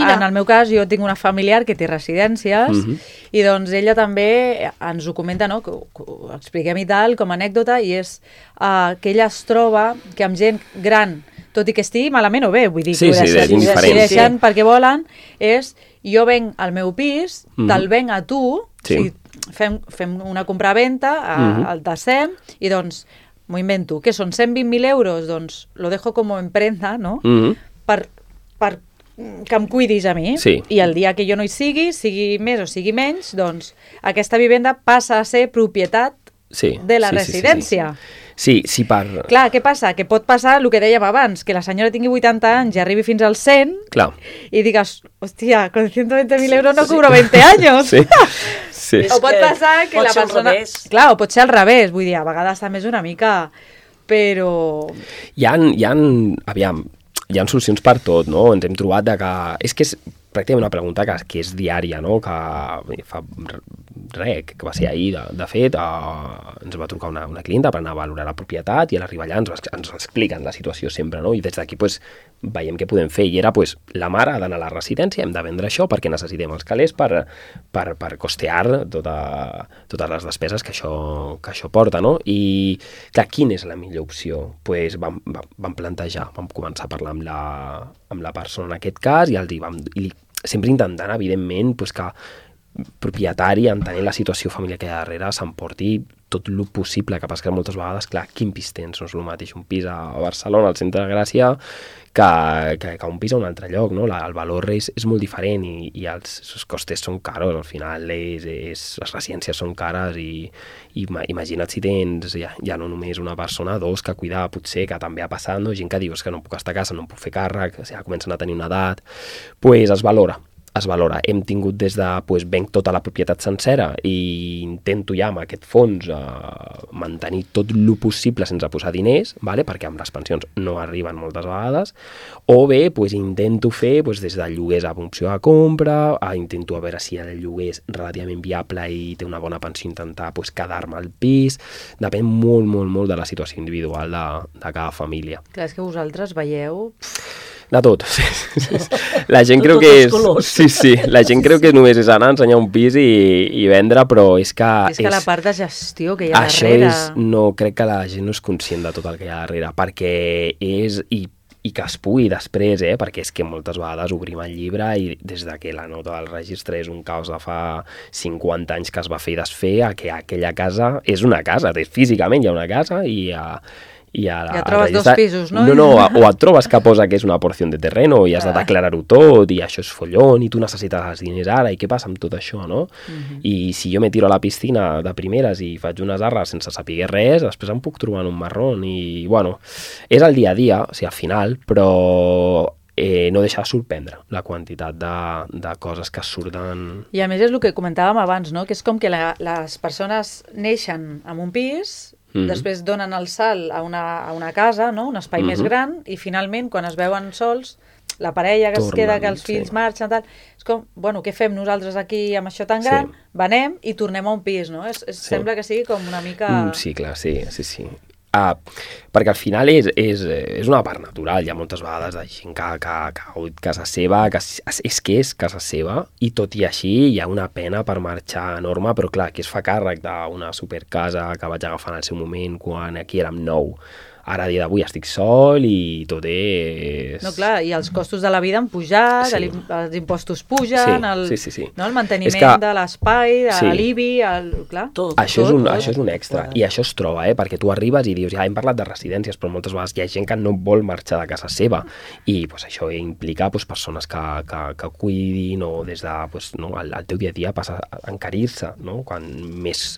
S2: en el meu cas, jo tinc una familiar que té residències, i doncs ella també ens ho comenta, no? Que ho expliquem i tal, com a anècdota, i és que ella es troba que amb gent gran, tot i que estigui malament o bé, vull dir, que decideixen perquè volen, és jo venc al meu pis, te'l venc a tu, o sigui, fem una compra-venta, el tasem, i doncs m'ho invento, que són 120.000 euros, doncs lo dejo como emprenda, no? Per que em cuidis a mi, i el dia que jo no hi sigui més o sigui menys, doncs aquesta vivenda passa a ser propietat de la residència.
S3: Sí,
S2: Clar, què passa? Que pot passar el que dèiem abans, que la senyora tingui 80 anys i arribi fins als 100 i digues, hòstia, con 120.000 euros no cobro 20 anys.
S3: Sí.
S2: O pot passar que la persona... Clar, o pot ser al revés, vull dir, a vegades també és una mica... Però...
S3: Hi ha solucions per tot, no? Ens hem trobat que... És que és pràcticament una pregunta que és diària, no? Que fa que va ser ahir, de fet, ens va trucar una clienta per anar a valorar la propietat, i a l'arribar allà ens expliquen la situació sempre, no? I des d'aquí veiem què podem fer, i era la mare ha d'anar a la residència, hem de vendre això perquè necessitem els calés per costear totes les despeses que això porta, no? I clar, quina és la millor opció? Vam plantejar, vam començar a parlar amb la persona en aquest cas, i sempre intentant, evidentment, que propietari, entenent la situació familiar que hi ha darrere, s'emporti tot el possible, que passa que moltes vegades, clar, quin pis tens? No és el mateix un pis a Barcelona, al centre de Gràcia, que un pis a un altre lloc, no? El valor és molt diferent, i els costes són caros, al final les residències són cares, i imagina't si tens ja no només una persona, dos que cuidar, potser, que també ha passat, no? Gent que dius que no puc estar a casa, no em puc fer càrrec, ja comencen a tenir una edat, es valora. Hem tingut des de, venc tota la propietat sencera i intento ja amb aquest fons mantenir tot el possible sense posar diners, perquè amb les pensions no arriben moltes vegades, o bé intento fer des de lloguers a opció de compra, intento a veure si el lloguer és relativament viable i té una bona pensió, intentar quedar-me al pis, depèn molt, molt, molt de la situació individual de cada família.
S2: Clar, és que vosaltres veieu...
S3: De tot. La gent creu que és... Sí, la gent creu que només és anar a ensenyar un pis i vendre, però és que...
S2: És que la part de gestió que hi ha darrere...
S3: Crec que la gent no és conscient de tot el que hi ha darrere, perquè és... I que es pugui després, perquè és que moltes vegades obrim el llibre i des que la nota del registre és un caos de fa 50 anys que es va fer i desfer, a que aquella casa és una casa, físicament hi ha una casa,
S2: Ja trobes dos pisos, no?
S3: No, o et trobes que posa que és una porció de terreno i has de declarar-ho tot i això és follón i tu necessites els diners ara i què passa amb tot això, no? I si jo me tiro a la piscina de primeres i faig unes arres sense saber res, després em puc trobar en un marrón i, bueno, és el dia a dia, o sigui, al final, però no deixa de sorprendre la quantitat de coses que surten.
S2: I a més és el que comentàvem abans, no? Que és com que les persones neixen en un pis, després donen el salt a una casa, no? Un espai més gran, i finalment, quan es veuen sols, la parella que es queda, que els fills marxen, tal, és com, bueno, què fem nosaltres aquí amb això tan gran? Venem i tornem a un pis, no? Sembla que sigui com una mica...
S3: Sí, clar, sí. Perquè al final és una part natural. Hi ha moltes vegades de gent que ha hagut casa seva, que és casa seva, i tot i així hi ha una pena per marxar enorme, però clar, qui es fa càrrec d'una supercasa que vaig agafar en el seu moment quan aquí érem 9. Ara, a dia d'avui, estic sol i tot és...
S2: No, clar, i els costos de la vida han pujat, els impostos pugen, el manteniment de l'espai, de l'IBI, clar...
S3: Això és un extra, i això es troba, perquè tu arribes i dius, ja hem parlat de residències, però moltes vegades hi ha gent que no vol marxar de casa seva, i això implica persones que cuidin, o des de el teu dia a dia passa a encarir-se, quan més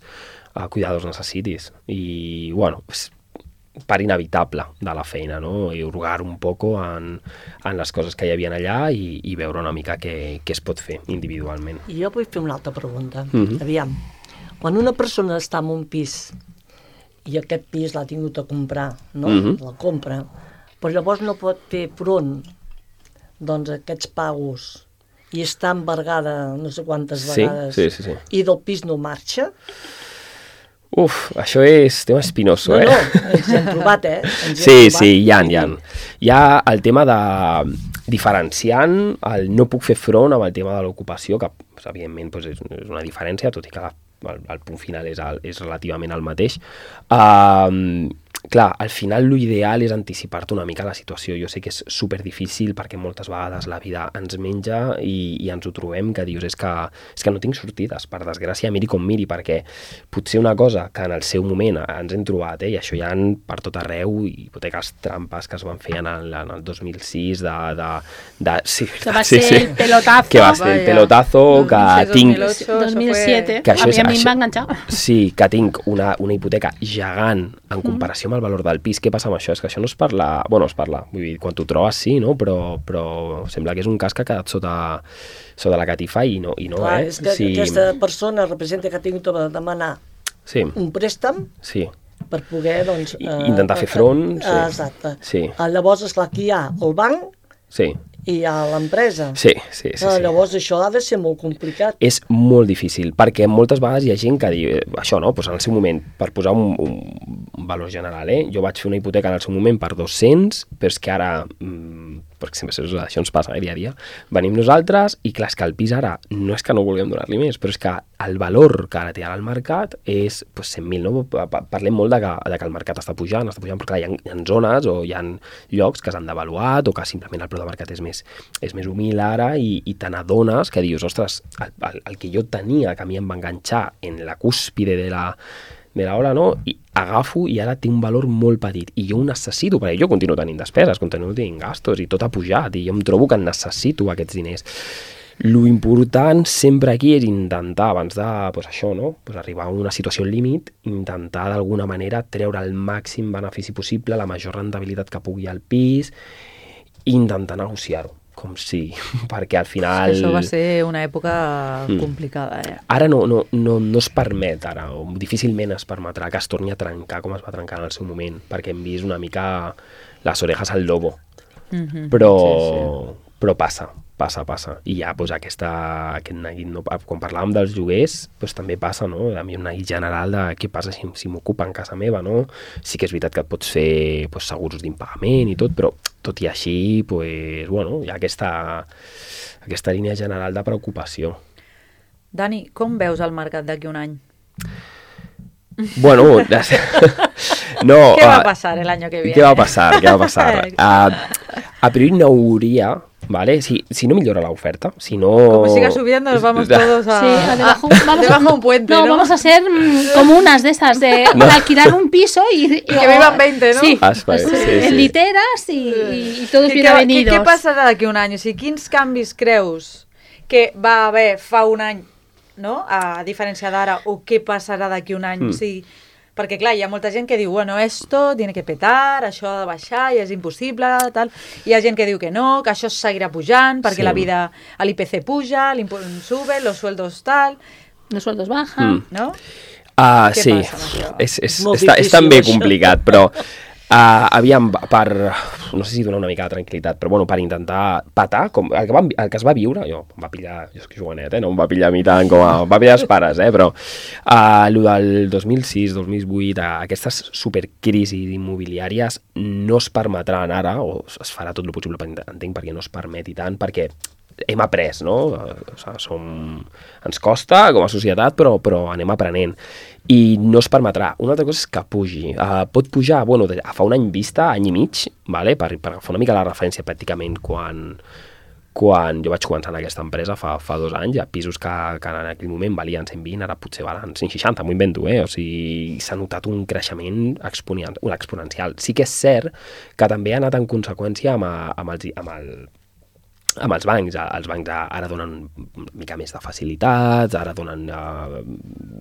S3: cuidadors necessitis. I, bueno, part inevitable de la feina, no? I hurgar un poco en les coses que hi havia allà i veure una mica què es pot fer individualment.
S4: I jo vull fer una altra pregunta. Aviam, quan una persona està en un pis i aquest pis l'ha tingut a comprar, no? La compra, però llavors no pot fer front doncs, a aquests pagos i està embargada no sé quantes vegades i del pis no marxa...
S3: Això és tema espinoso,
S4: No, ens hem trobat,
S3: Sí, hi ha. Hi ha el tema de diferenciant el no puc fer front amb el tema de l'ocupació, que evidentment és una diferència, tot i que el punt final és relativament el mateix. Clar, al final l'ideal és anticipar-te una mica la situació. Jo sé que és superdifícil perquè moltes vegades la vida ens menja i ens ho trobem que dius és que no tinc sortides, per desgràcia, miri com miri, perquè potser una cosa que en el seu moment ens hem trobat, i això hi ha per tot arreu, hipoteques trampes que es van fer en el 2006
S5: que va ser el pelotazo.
S3: Que va ser el pelotazo, que tinc...
S5: 2007, a mi em va enganxar.
S3: Sí, que tinc una hipoteca gegant en comparació amb el valor del pis. Què passa amb això? És que això no es parla... Bueno, es parla, vull dir, quan t'ho trobes sí, no? Però sembla que és un cas que ha quedat sota la catifa i no,
S4: Clar, és que aquesta persona representa que ha tingut de demanar un préstec per poder, doncs...
S3: intentar fer front.
S4: Exacte. Llavors, esclar, aquí hi ha el banc i hi ha l'empresa.
S3: Sí.
S4: Llavors això ha de ser molt complicat.
S3: És molt difícil, perquè moltes vegades hi ha gent que diu, això no, doncs en el seu moment, per posar un valor general, jo vaig fer una hipoteca en el seu moment per 200, però és que ara, perquè sempre això ens passa dia a dia, venim nosaltres i clar, és que el pis ara no és que no vulguem donar-li més, però és que el valor que ara té ara al mercat és 100.000, no? Parlem molt de que el mercat està pujant, perquè clar, hi ha zones o hi ha llocs que s'han devaluat o que simplement el preu de mercat és més humil ara i te n'adones que dius, ostres, el que jo tenia, que a mi em va enganxar en la cúspide de la ola, no? I agafo i ara té un valor molt petit i jo ho necessito, perquè jo continuo tenint despeses, continuo tenint gastos i tot ha pujat i jo em trobo que necessito aquests diners. Lo important sempre aquí és intentar, abans de això, no? Arribar a una situació límit, intentar d'alguna manera treure el màxim benefici possible, la major rendibilitat que pugui al pis i intentar negociar-ho. Com si, perquè al final...
S2: Això va ser una època complicada,
S3: Ara no es permet, o difícilment es permetrà que es torni a trencar com es va trencar en el seu moment, perquè hem vist una mica les orejas al lobo. Però passa. I ja aquest neguit, no? Quan parlàvem dels lloguers, també passa, no? A mi un neguit general de què passa si m'ocupen casa meva, no? Sí que és veritat que et pots fer segurs d'impagament i tot, però tot i així, hi ha aquesta línia general de preocupació.
S2: Dani, com veus el mercat d'aquí un any?
S3: Bueno, no...
S2: ¿Qué va a pasar el año que viene?
S3: ¿Qué va a pasar? A priori no hauria ¿vale? Si no millora la oferta, si no...
S2: Como siga subiendo, nos vamos todos a...
S5: Sí, debajo
S2: un puente, ¿no?
S5: Vamos a ser como unas de esas, de alquilar un piso y
S2: que vivan 20, ¿no?
S5: Sí,
S3: sí.
S5: literas y todos bienvenidos.
S2: Què passarà d'aquí un any? O sigui, quins canvis creus que va haver fa un any, no? A diferència d'ara, o què passarà d'aquí un any? O sigui, perquè, clar, hi ha molta gent que diu, bueno, esto tiene que petar, això ha de baixar i és impossible, tal. Hi ha gent que diu que no, que això seguirà pujant, perquè la vida, l'IPC puja, l'impuesto sube, los sueldos tal...
S5: Los sueldos bajan,
S2: no?
S3: Sí, és també complicat, però... aviam, no sé si donar una mica de tranquil·litat, però bueno, per intentar patar, com el que es va viure, jo em va pillar, jo és que jovenet, no em va pillar a mi tant com va pillar els pares, però el del 2006, 2008, aquestes supercrisis immobiliàries no es permetran ara, o es farà tot el possible, entenc, perquè no es permeti tant, perquè hem après, no? O sigui, ens costa com a societat, però anem aprenent. I no es permetrà. Una altra cosa és que pugi. Pot pujar, bueno, fa un any vista, any i mig, vale? per agafar una mica la referència pràcticament quan jo vaig començar en aquesta empresa fa 2 anys, hi ha pisos que en aquell moment valien 120, ara potser valen 160, m'ho invento, o sigui, s'ha notat un creixement exponencial. Sí que és cert que també ha anat en conseqüència amb els bancs. Els bancs ara donen una mica més de facilitats, ara donen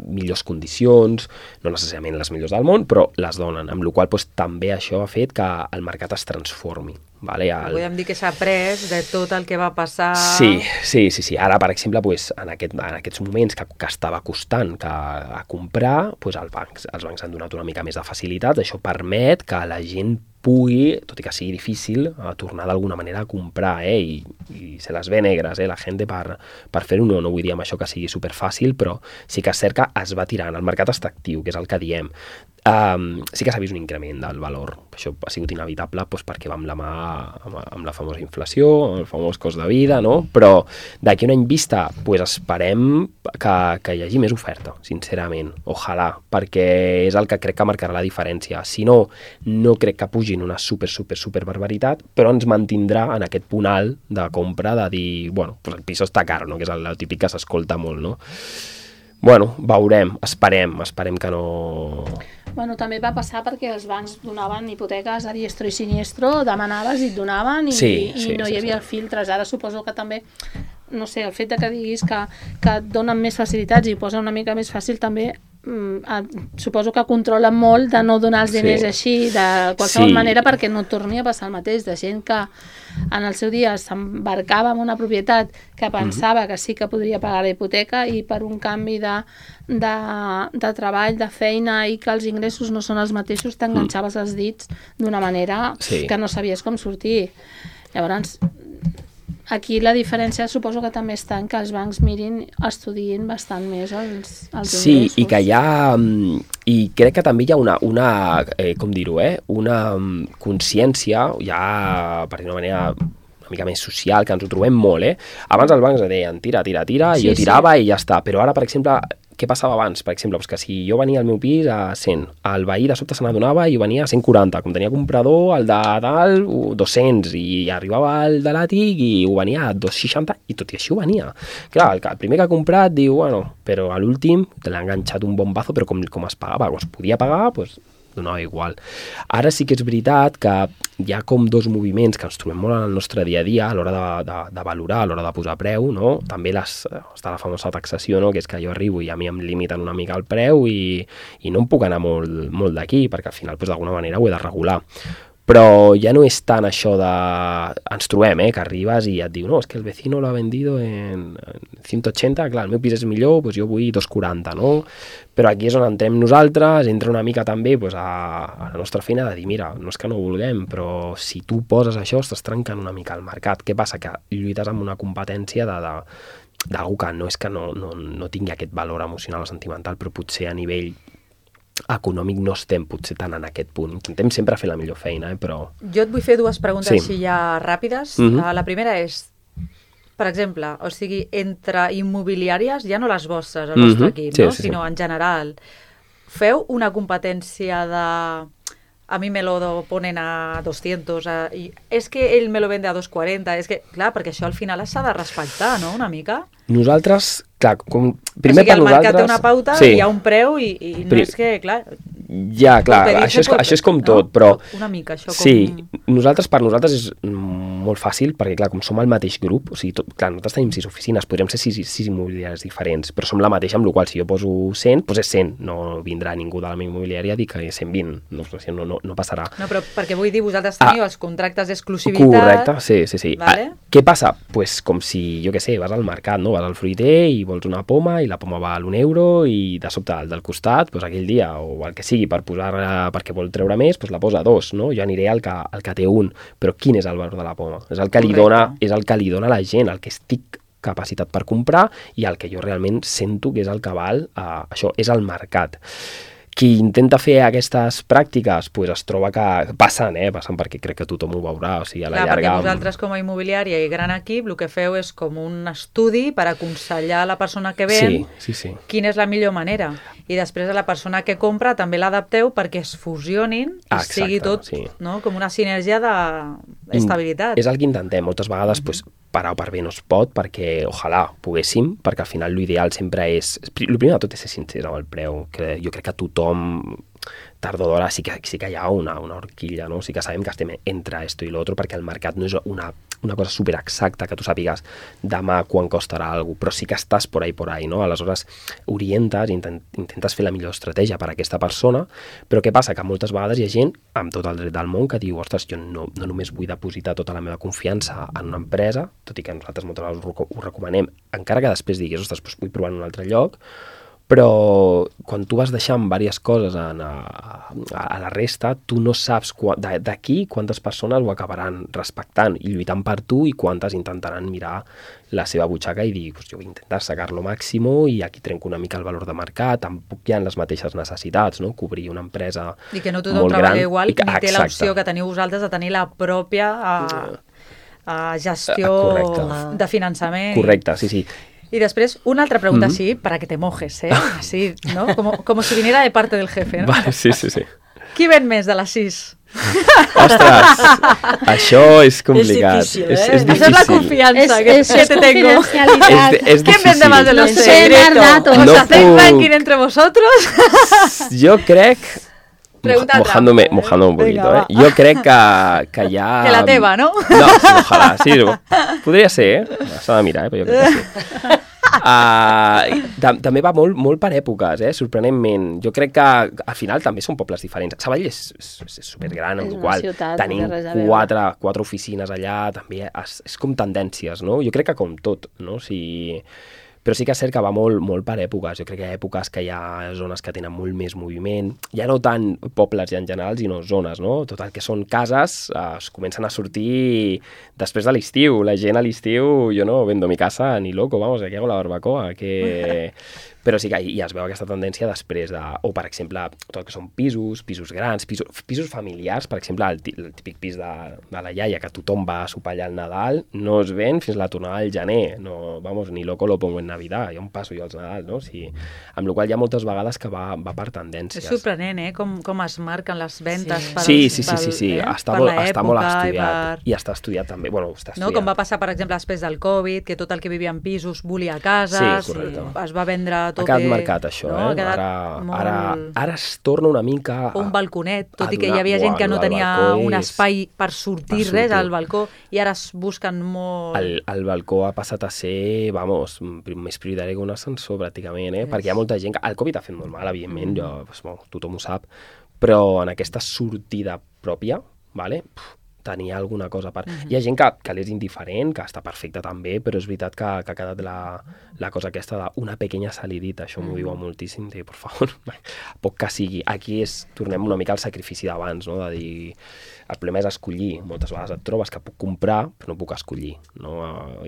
S3: millors condicions, no necessàriament les millors del món, però les donen, amb la qual cosa també això ha fet que el mercat es transformi. Vale?
S2: Podem dir que s'ha après de tot el que va passar...
S3: Sí. Ara, per exemple, en aquests moments que estava costant a comprar, els bancs han donat una mica més de facilitats, això permet que la gent pugui, tot i que sigui difícil, tornar d'alguna manera a comprar, i se les ve negres, la gent per fer-ho. No vull dir amb això que sigui superfàcil, però sí que és cert que es va tirant. El mercat està actiu, que és el que diem. Sí que s'ha vist un increment del valor. Això ha sigut inevitable perquè va amb la mà amb la famosa inflació, el famós cost de vida, no? Però d'aquí un any vista esperem que hi hagi més oferta, sincerament. Ojalà, perquè és el que crec que marcarà la diferència. Si no crec que pugin una super barbaritat, però ens mantindrà en aquest punt alt de compra de dir, bueno, el pis està car, no? Que és el típic que s'escolta molt, no? Bueno, veurem, esperem que no...
S5: Bueno, també va passar perquè els bancs donaven hipoteques a diestro i siniestro, demanaves i et donaven i no hi havia filtres. Ara suposo que també, no sé, el fet que diguis que et donen més facilitats i posa una mica més fàcil també, suposo que controlen molt de no donar els diners així de qualsevol manera, perquè no torni a passar el mateix, de gent que en el seu dia s'embarcava en una propietat que pensava que sí que podria pagar la hipoteca i per un canvi de treball, de feina i que els ingressos no són els mateixos, t'enganxaves els dits d'una manera que no sabies com sortir. Llavors, aquí la diferència suposo que també està en que els bancs estudiïn bastant més els ingressos.
S3: Sí, i que hi ha... I crec que també hi ha una com dir-ho, una consciència, ja per dir-ho d'una manera una mica més social, que ens ho trobem molt, Abans els bancs deien tira, i jo tirava i ja està. Però ara, per exemple, què passava abans? Per exemple, que si jo venia al meu pis a 100, el veí de sobte se n'adonava i venia a 140, com tenia comprador, el de dalt 200, i arribava el de l'àtic i ho venia a 260, i tot i així ho venia. Clar, el primer que ha comprat diu, bueno, però a l'últim te l'ha enganxat un bombazo, però com es pagava, com es podia pagar, doncs donava igual. Ara sí que és veritat que hi ha com 2 moviments que ens trobem molt en el nostre dia a dia a l'hora de valorar, a l'hora de posar preu, no? També està la famosa taxació, no? Que és que jo arribo i a mi em limiten una mica el preu i no em puc anar molt d'aquí, perquè al final d'alguna manera ho he de regular. Però ja no és tant això de... Ens trobem, que arribes i et diu no, és que el vecino lo ha vendido en 180, clar, el meu pis és millor, doncs jo vull 240, no? Però aquí és on entrem nosaltres, entra una mica també a la nostra feina de dir, mira, no és que no ho vulguem, però si tu poses això estàs trencant una mica el mercat. Què passa? Que lluites amb una competència d'algú que no és que no tingui aquest valor emocional o sentimental, però potser a nivell econòmic no estem potser tant en aquest punt. Intentem sempre fer la millor feina, però...
S2: Jo et vull fer 2 preguntes així ja ràpides. La primera és, per exemple, o sigui, entre immobiliàries, ja no les vostres, el vostre equip, no? Sinó en general, feu una competència de a mí me lo ponen a 200, i és que ell me lo vende a 240, és que, clar, perquè això al final s'ha de respectar, no?, una mica.
S3: Nosaltres, clar,
S2: primer per nosaltres... O sigui, el mercat té una pauta, hi ha un preu i no és que, clar...
S3: Ja, clar, això és com tot, però...
S2: Una mica, això com...
S3: Sí, per nosaltres és molt fàcil, perquè, clar, com som el mateix grup, o sigui, clar, nosaltres tenim 6 oficines, podríem ser 6 immobiliàries diferents, però som la mateixa, amb la qual cosa, si jo poso 100, doncs és 100, no vindrà ningú de la meva immobiliària a dir que és 120, no passarà.
S2: No, però perquè vull dir, vosaltres teniu els contractes d'exclusivitat...
S3: Correcte, sí.
S2: Vale.
S3: Què passa? Pues com si, jo què sé, vas al mercat, no? Vas al fruiter i vols una poma, i la poma val €1, i de sobte el del costat, doncs aquell dia, o el que sigui, perquè vol treure més, doncs la posa a 2, no? Jo aniré al que té 1, però quin és el valor de la poma? És el que li dona a la gent, el que estic capacitat per comprar i el que jo realment sento que és el que val, això és el mercat. Qui intenta fer aquestes pràctiques pues es troba que passen perquè crec que tothom ho veurà, o sigui, a la llarga...
S2: Perquè vosaltres com a immobiliària i gran equip el que feu és com un estudi per aconsellar a la persona que ven quina és la millor manera, i després a la persona que compra també l'adapteu perquè es fusionin i sigui tot com una sinergia d'estabilitat.
S3: És el que intentem, moltes vegades per A o per B no es pot, perquè ojalà poguéssim, perquè al final l'ideal sempre és... El primer de tot és ser sincer amb el preu, que jo crec que tothom tard o d'hora sí que hi ha una horquilla, no? Sí que sabem que estem entre esto i l'altre, perquè el mercat no és una cosa superexacta que tu sàpigues demà quan costarà alguna cosa, però sí que estàs por ahí, no? Aleshores orientes, intentes fer la millor estratègia per a aquesta persona, però què passa? Que moltes vegades hi ha gent amb tot el dret del món que diu, ostres, jo no només vull depositar tota la meva confiança en una empresa, tot i que nosaltres moltes vegades ho recomanem, encara que després diguis, ostres, doncs vull provar en un altre lloc, però quan tu vas deixant diverses coses a la resta, tu no saps d'aquí quantes persones ho acabaran respectant i lluitant per tu i quantes intentaran mirar la seva butxaca i dir, jo vull intentar sacar-lo màxim i aquí trenco una mica el valor de mercat, tampoc hi ha les mateixes necessitats, no? Cobrir una empresa molt gran.
S2: I que no tothom treballa igual, ni té l'opció que teniu vosaltres de tenir la pròpia gestió de finançament.
S3: Correcte, sí.
S2: Y después, una otra pregunta así, para que te mojes, ¿eh? Así, ¿no? Como si viniera de parte del jefe, ¿no?
S3: Vale, sí.
S2: Qui ven més de les 6?
S3: Ostres, això és complicat.
S4: És difícil,
S3: és difícil.
S2: Això és la confiança que te tengo.
S3: És
S2: ¿Quién vende más de los 6?
S3: No
S2: ¿Hacéis ranking entre vosotros?
S3: Jo crec... Mojándome un poquito,
S2: Venga,
S3: Jo crec que hi ha...
S2: Que la teva, ¿no?
S3: No, ojalà, sí. Podria ser, s'ha de mirar, però jo crec que sí. També va molt per èpoques, sorprenentment. Jo crec que al final també són pobles diferents. Sabadell és supergran, amb la qual tenim 4 oficines allà, també és com tendències, no? Jo crec que com tot, no? Però sí que és cert que va molt per èpoques. Jo crec que hi ha èpoques que hi ha zones que tenen molt més moviment. Ja no tant pobles en general, sinó zones, no? Tot el que són cases es comencen a sortir després de l'estiu. La gent a l'estiu, jo no vendo mi casa ni loco, vamos, aquí hago la barbacoa, que... Però sí que ja es veu aquesta tendència després de... O, per exemple, tot el que són pisos grans, pisos familiars, per exemple, el típic pis de la iaia, que tothom va a sopar allà al Nadal, no es ven fins la tornada al gener. No, vamos, ni loco lo pongo en Navidad, ja on passo jo als Nadal, no? Sí. Amb la qual hi ha moltes vegades que va per tendències.
S2: És sorprenent, com es marquen les ventes
S3: sí. Està molt estudiat. I està estudiat també. Bueno, està estudiat.
S2: No? Com va passar, per exemple, després del Covid, que tot el que vivia en pisos volia cases, es va vendre tot.
S3: Ha quedat marcat això, Ara es torna una mica...
S2: Un balconet, tot i que hi havia gent que no tenia un espai per sortir res al balcó, i ara es busquen molt...
S3: El balcó ha passat a ser, més prioritari que un ascensor, pràcticament, perquè hi ha molta gent que... El Covid ha fet molt mal, evidentment, tothom ho sap, però en aquesta sortida pròpia, tenia alguna cosa per... Hi ha gent que l'és indiferent, que està perfecta també, però és veritat que ha quedat la cosa aquesta d'una pequeña salidita, això m'ho diuen moltíssim, de, por favor, poc que sigui. Aquí tornem una mica al sacrifici d'abans, no? De dir... El problema és escollir. Moltes vegades et trobes que puc comprar, però no puc escollir, no?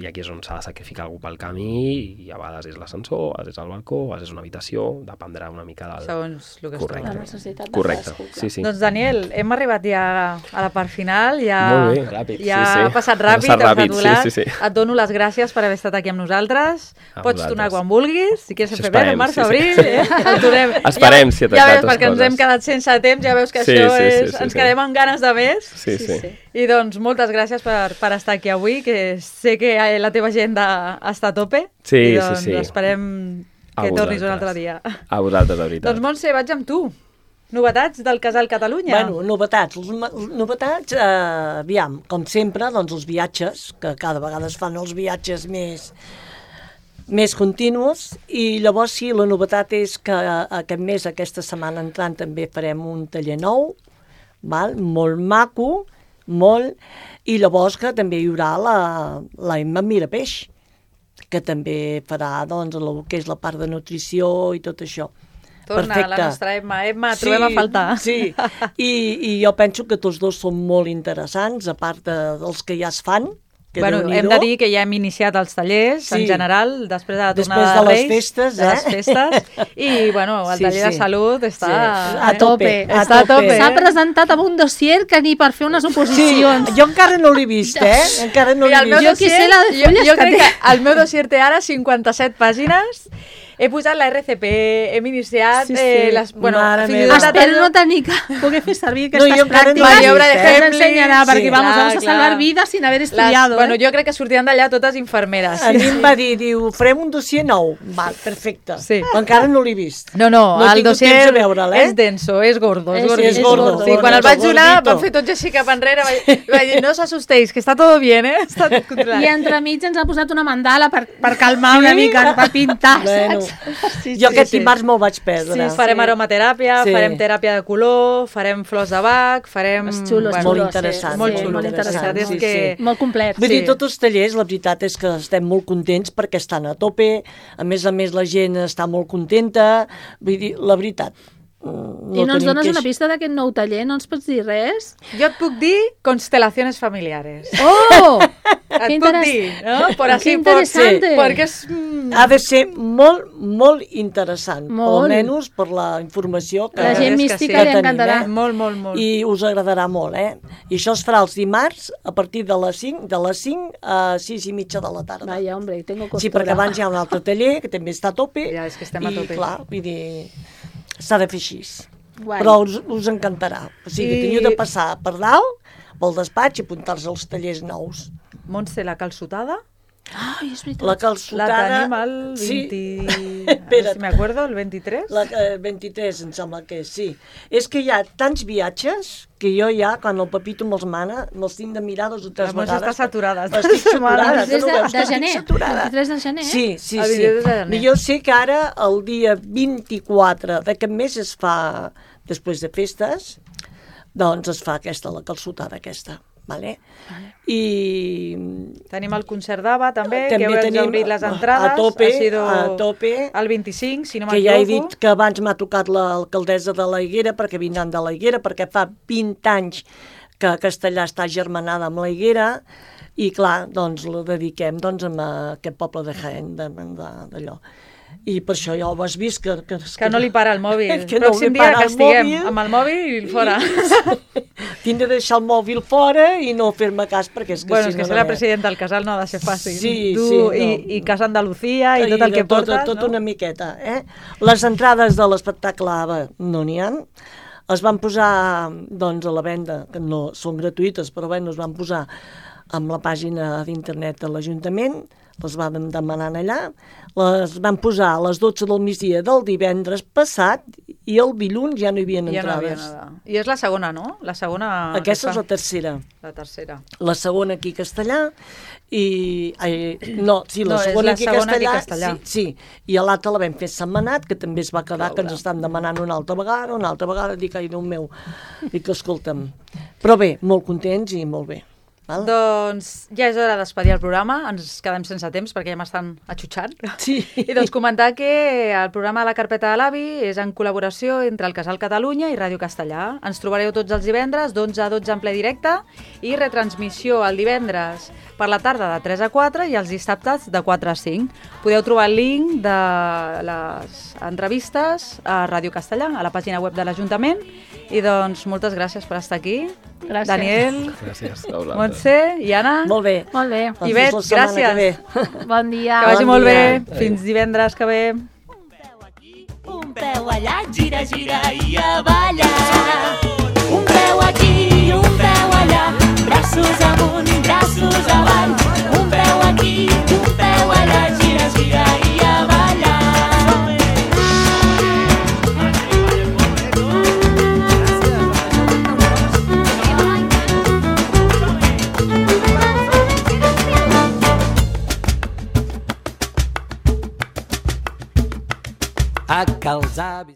S3: I aquí és on s'ha de sacrificar algú pel camí, i a vegades és l'ascensor, a vegades és el balcó, a vegades és una habitació, dependrà una mica del...
S2: Segons el que es troba.
S3: Correcte. Sí.
S2: Doncs, Daniel, hem arribat ja a la part final.
S3: Molt bé, ràpid.
S2: Ha passat ràpid, Et dono les gràcies per haver estat aquí amb nosaltres. Pots tornar quan vulguis, si quieres en febrer, març, abril.
S3: Esperem, si et
S2: ja veus, perquè ens hem quedat sense temps, ja veus que això és... Ens quedem amb ganes de més.
S3: Sí.
S2: I doncs moltes gràcies per estar aquí avui, que sé que la teva agenda està a tope.
S3: Sí.
S2: Esperem que tornis un altre dia.
S3: A vosaltres, de veritat.
S2: Doncs Montse, vaig amb tu. Novetats del Casal Catalunya?
S4: Bueno, novetats, aviam, com sempre, doncs els viatges, que cada vegada es fan els viatges més continus, i llavors sí, la novetat és que aquest mes, aquesta setmana entrant, també farem un taller nou, molt maco, i llavors que també hi haurà la Emma Mirapeix, que també farà doncs, el que és la part de nutrició i tot això.
S2: Torna, perfecte. La nostra Emma, trobem a faltar.
S4: Sí, i jo penso que tots dos són molt interessants, a part dels que ja es fan.
S2: Bueno, hem de dir que ja hem iniciat els tallers, en general, després de la tornada
S4: de
S2: Reis.
S4: Després
S2: de les festes. I, bueno, el taller de salut està
S4: a tope.
S5: S'ha presentat amb un dossier que ni per fer unes oposicions.
S4: Sí, jo encara no l'he vist, Encara no l'he vist.
S5: Jo que sé la de fulles
S2: jo crec que el meu dossier té ara 57 pàgines. He posat la RCP, hem iniciat les... Bueno,
S5: espero no tenir que poder fer servir aquestes pràctiques.
S2: Maniobra de Hemling.
S5: Ensenyarà, perquè vamos a salvar vides sin haver estudiado.
S2: Bueno, jo crec que sortiran d'allà totes infermeres.
S4: A mi em va dir, farem un dossier nou. Val, perfecte. Encara no l'he vist.
S2: No, el dossier és denso, és gordo.
S4: És gordo.
S2: Sí, quan el vaig donar, van fer tots així cap enrere. Vaig dir, no s'assustéis, que està tot bien, Està tot controlat.
S5: I entremig ens ha posat una mandala per calmar una mica, per pintar, saps?
S4: Jo aquest dimarts me'l vaig perdre.
S2: Sí, farem aromateràpia, farem teràpia de color, farem flors de Bach, farem...
S4: Molt interessant.
S2: Molt interessant.
S5: Molt complet.
S4: Vull dir, tots els tallers, la veritat és que estem molt contents perquè estan a tope, a més la gent està molt contenta, vull dir, la veritat.
S5: I no ens dones una pista d'aquest nou taller? No ens pots dir res?
S2: Jo et puc dir constelaciones familiares.
S5: ¡Oh!
S2: Et puc dir, no?
S5: Qué interesante.
S2: Perquè és...
S4: Ha de ser molt interessant, almenys per la informació que
S5: la gent mística li encantarà.
S2: Molt.
S4: I us agradarà molt, I això es farà els dimarts a partir de les 5 a 6:30 de la tarda.
S5: Vaya, hombre, tengo costura.
S4: Sí, perquè abans hi ha un altre taller que també està a tope.
S2: Ja, és que estem a tope.
S4: I clar, vull dir... S'ha de fer així. Però us encantarà. O sigui, teniu de passar per dalt, pel despatx i apuntar-se als tallers nous.
S2: Montse, la calçotada?
S5: Ai, és veritat.
S4: La calçotada...
S2: La tenim el 20... Si m'acuerdo, el 23?
S4: El 23, em sembla que sí. És que hi ha tants viatges que jo ja, quan el Pepito me'ls mana, me'ls tinc de mirar 2 o 3 vegades.
S2: Està saturada.
S4: Estic saturada.
S5: De gener. El 23 de gener.
S4: Sí. Jo sé que ara, el dia 24 d'aquest mes es fa, després de festes, doncs es fa la calçotada aquesta. Vale? I
S2: tenim el concert d'Ava també que hem obrit les entrades
S4: a tope
S2: el 25, si no
S4: m'equivoco, que ja he dit que abans m'ha tocat l'alcaldessa de la Higuera, perquè vindran de la Higuera, perquè fa 20 anys que Castellà està germanada amb la Higuera i clar, doncs la dediquem a aquest poble de Jaén d'allò. I per això ja ho has vist que
S2: no li para el mòbil. El pròxim dia que estiguem amb el mòbil fora.
S4: Tinc de deixar el mòbil fora i no fer-me cas perquè és que
S2: bueno, és que ser la presidenta del casal no ha de ser fàcil.
S4: Sí,
S2: i Casa Andalucía i tot el que portes.
S4: Tot una miqueta, Les entrades de l'espectacle AVA no n'hi ha. Es van posar doncs, a la venda, que no són gratuïtes, però es van posar amb la pàgina d'internet de l'Ajuntament, les van demanar allà, les van posar a les 12 del migdia del divendres passat i el dilluns ja no hi havia entrades.
S2: I és la segona, no? La segona...
S4: Aquesta és la tercera.
S2: La tercera.
S4: La segona aquí a Castellà i... la segona aquí a Castellà. Sí, i a l'altra la vam fer setmanat, que també es va quedar que ens estan demanant una altra vegada, dic, ai, Déu meu. Dic, escolta'm. Però bé, molt contents i molt bé.
S2: Doncs ja és hora d'espedir el programa, ens quedem sense temps perquè ja m'estan atxutxant.
S4: Sí.
S2: I doncs comentar que el programa de la carpeta de l'AVI és en col·laboració entre el Casal Catalunya i Ràdio Castellà. Ens trobareu tots els divendres d'11 a 12 en ple directe i retransmissió el divendres per la tarda de 3 a 4 i els dissabtes de 4 a 5. Podeu trobar el link de les entrevistes a Ràdio Castellà, a la pàgina web de l'Ajuntament. I doncs moltes gràcies per estar aquí.
S5: Gràcies.
S2: Daniel.
S3: Gràcies.
S2: Montse i Anna.
S4: Molt bé.
S5: Molt bé.
S2: Ivet, gràcies.
S5: Bon dia.
S2: Que vagi molt bé. Fins divendres que ve.
S1: Un peu allà, gira, gira i a ballar. Un peu aquí, un peu allà, braços amunt, braços avall. Un peu aquí, un peu allà, gira, gira i a ballar. A que els avis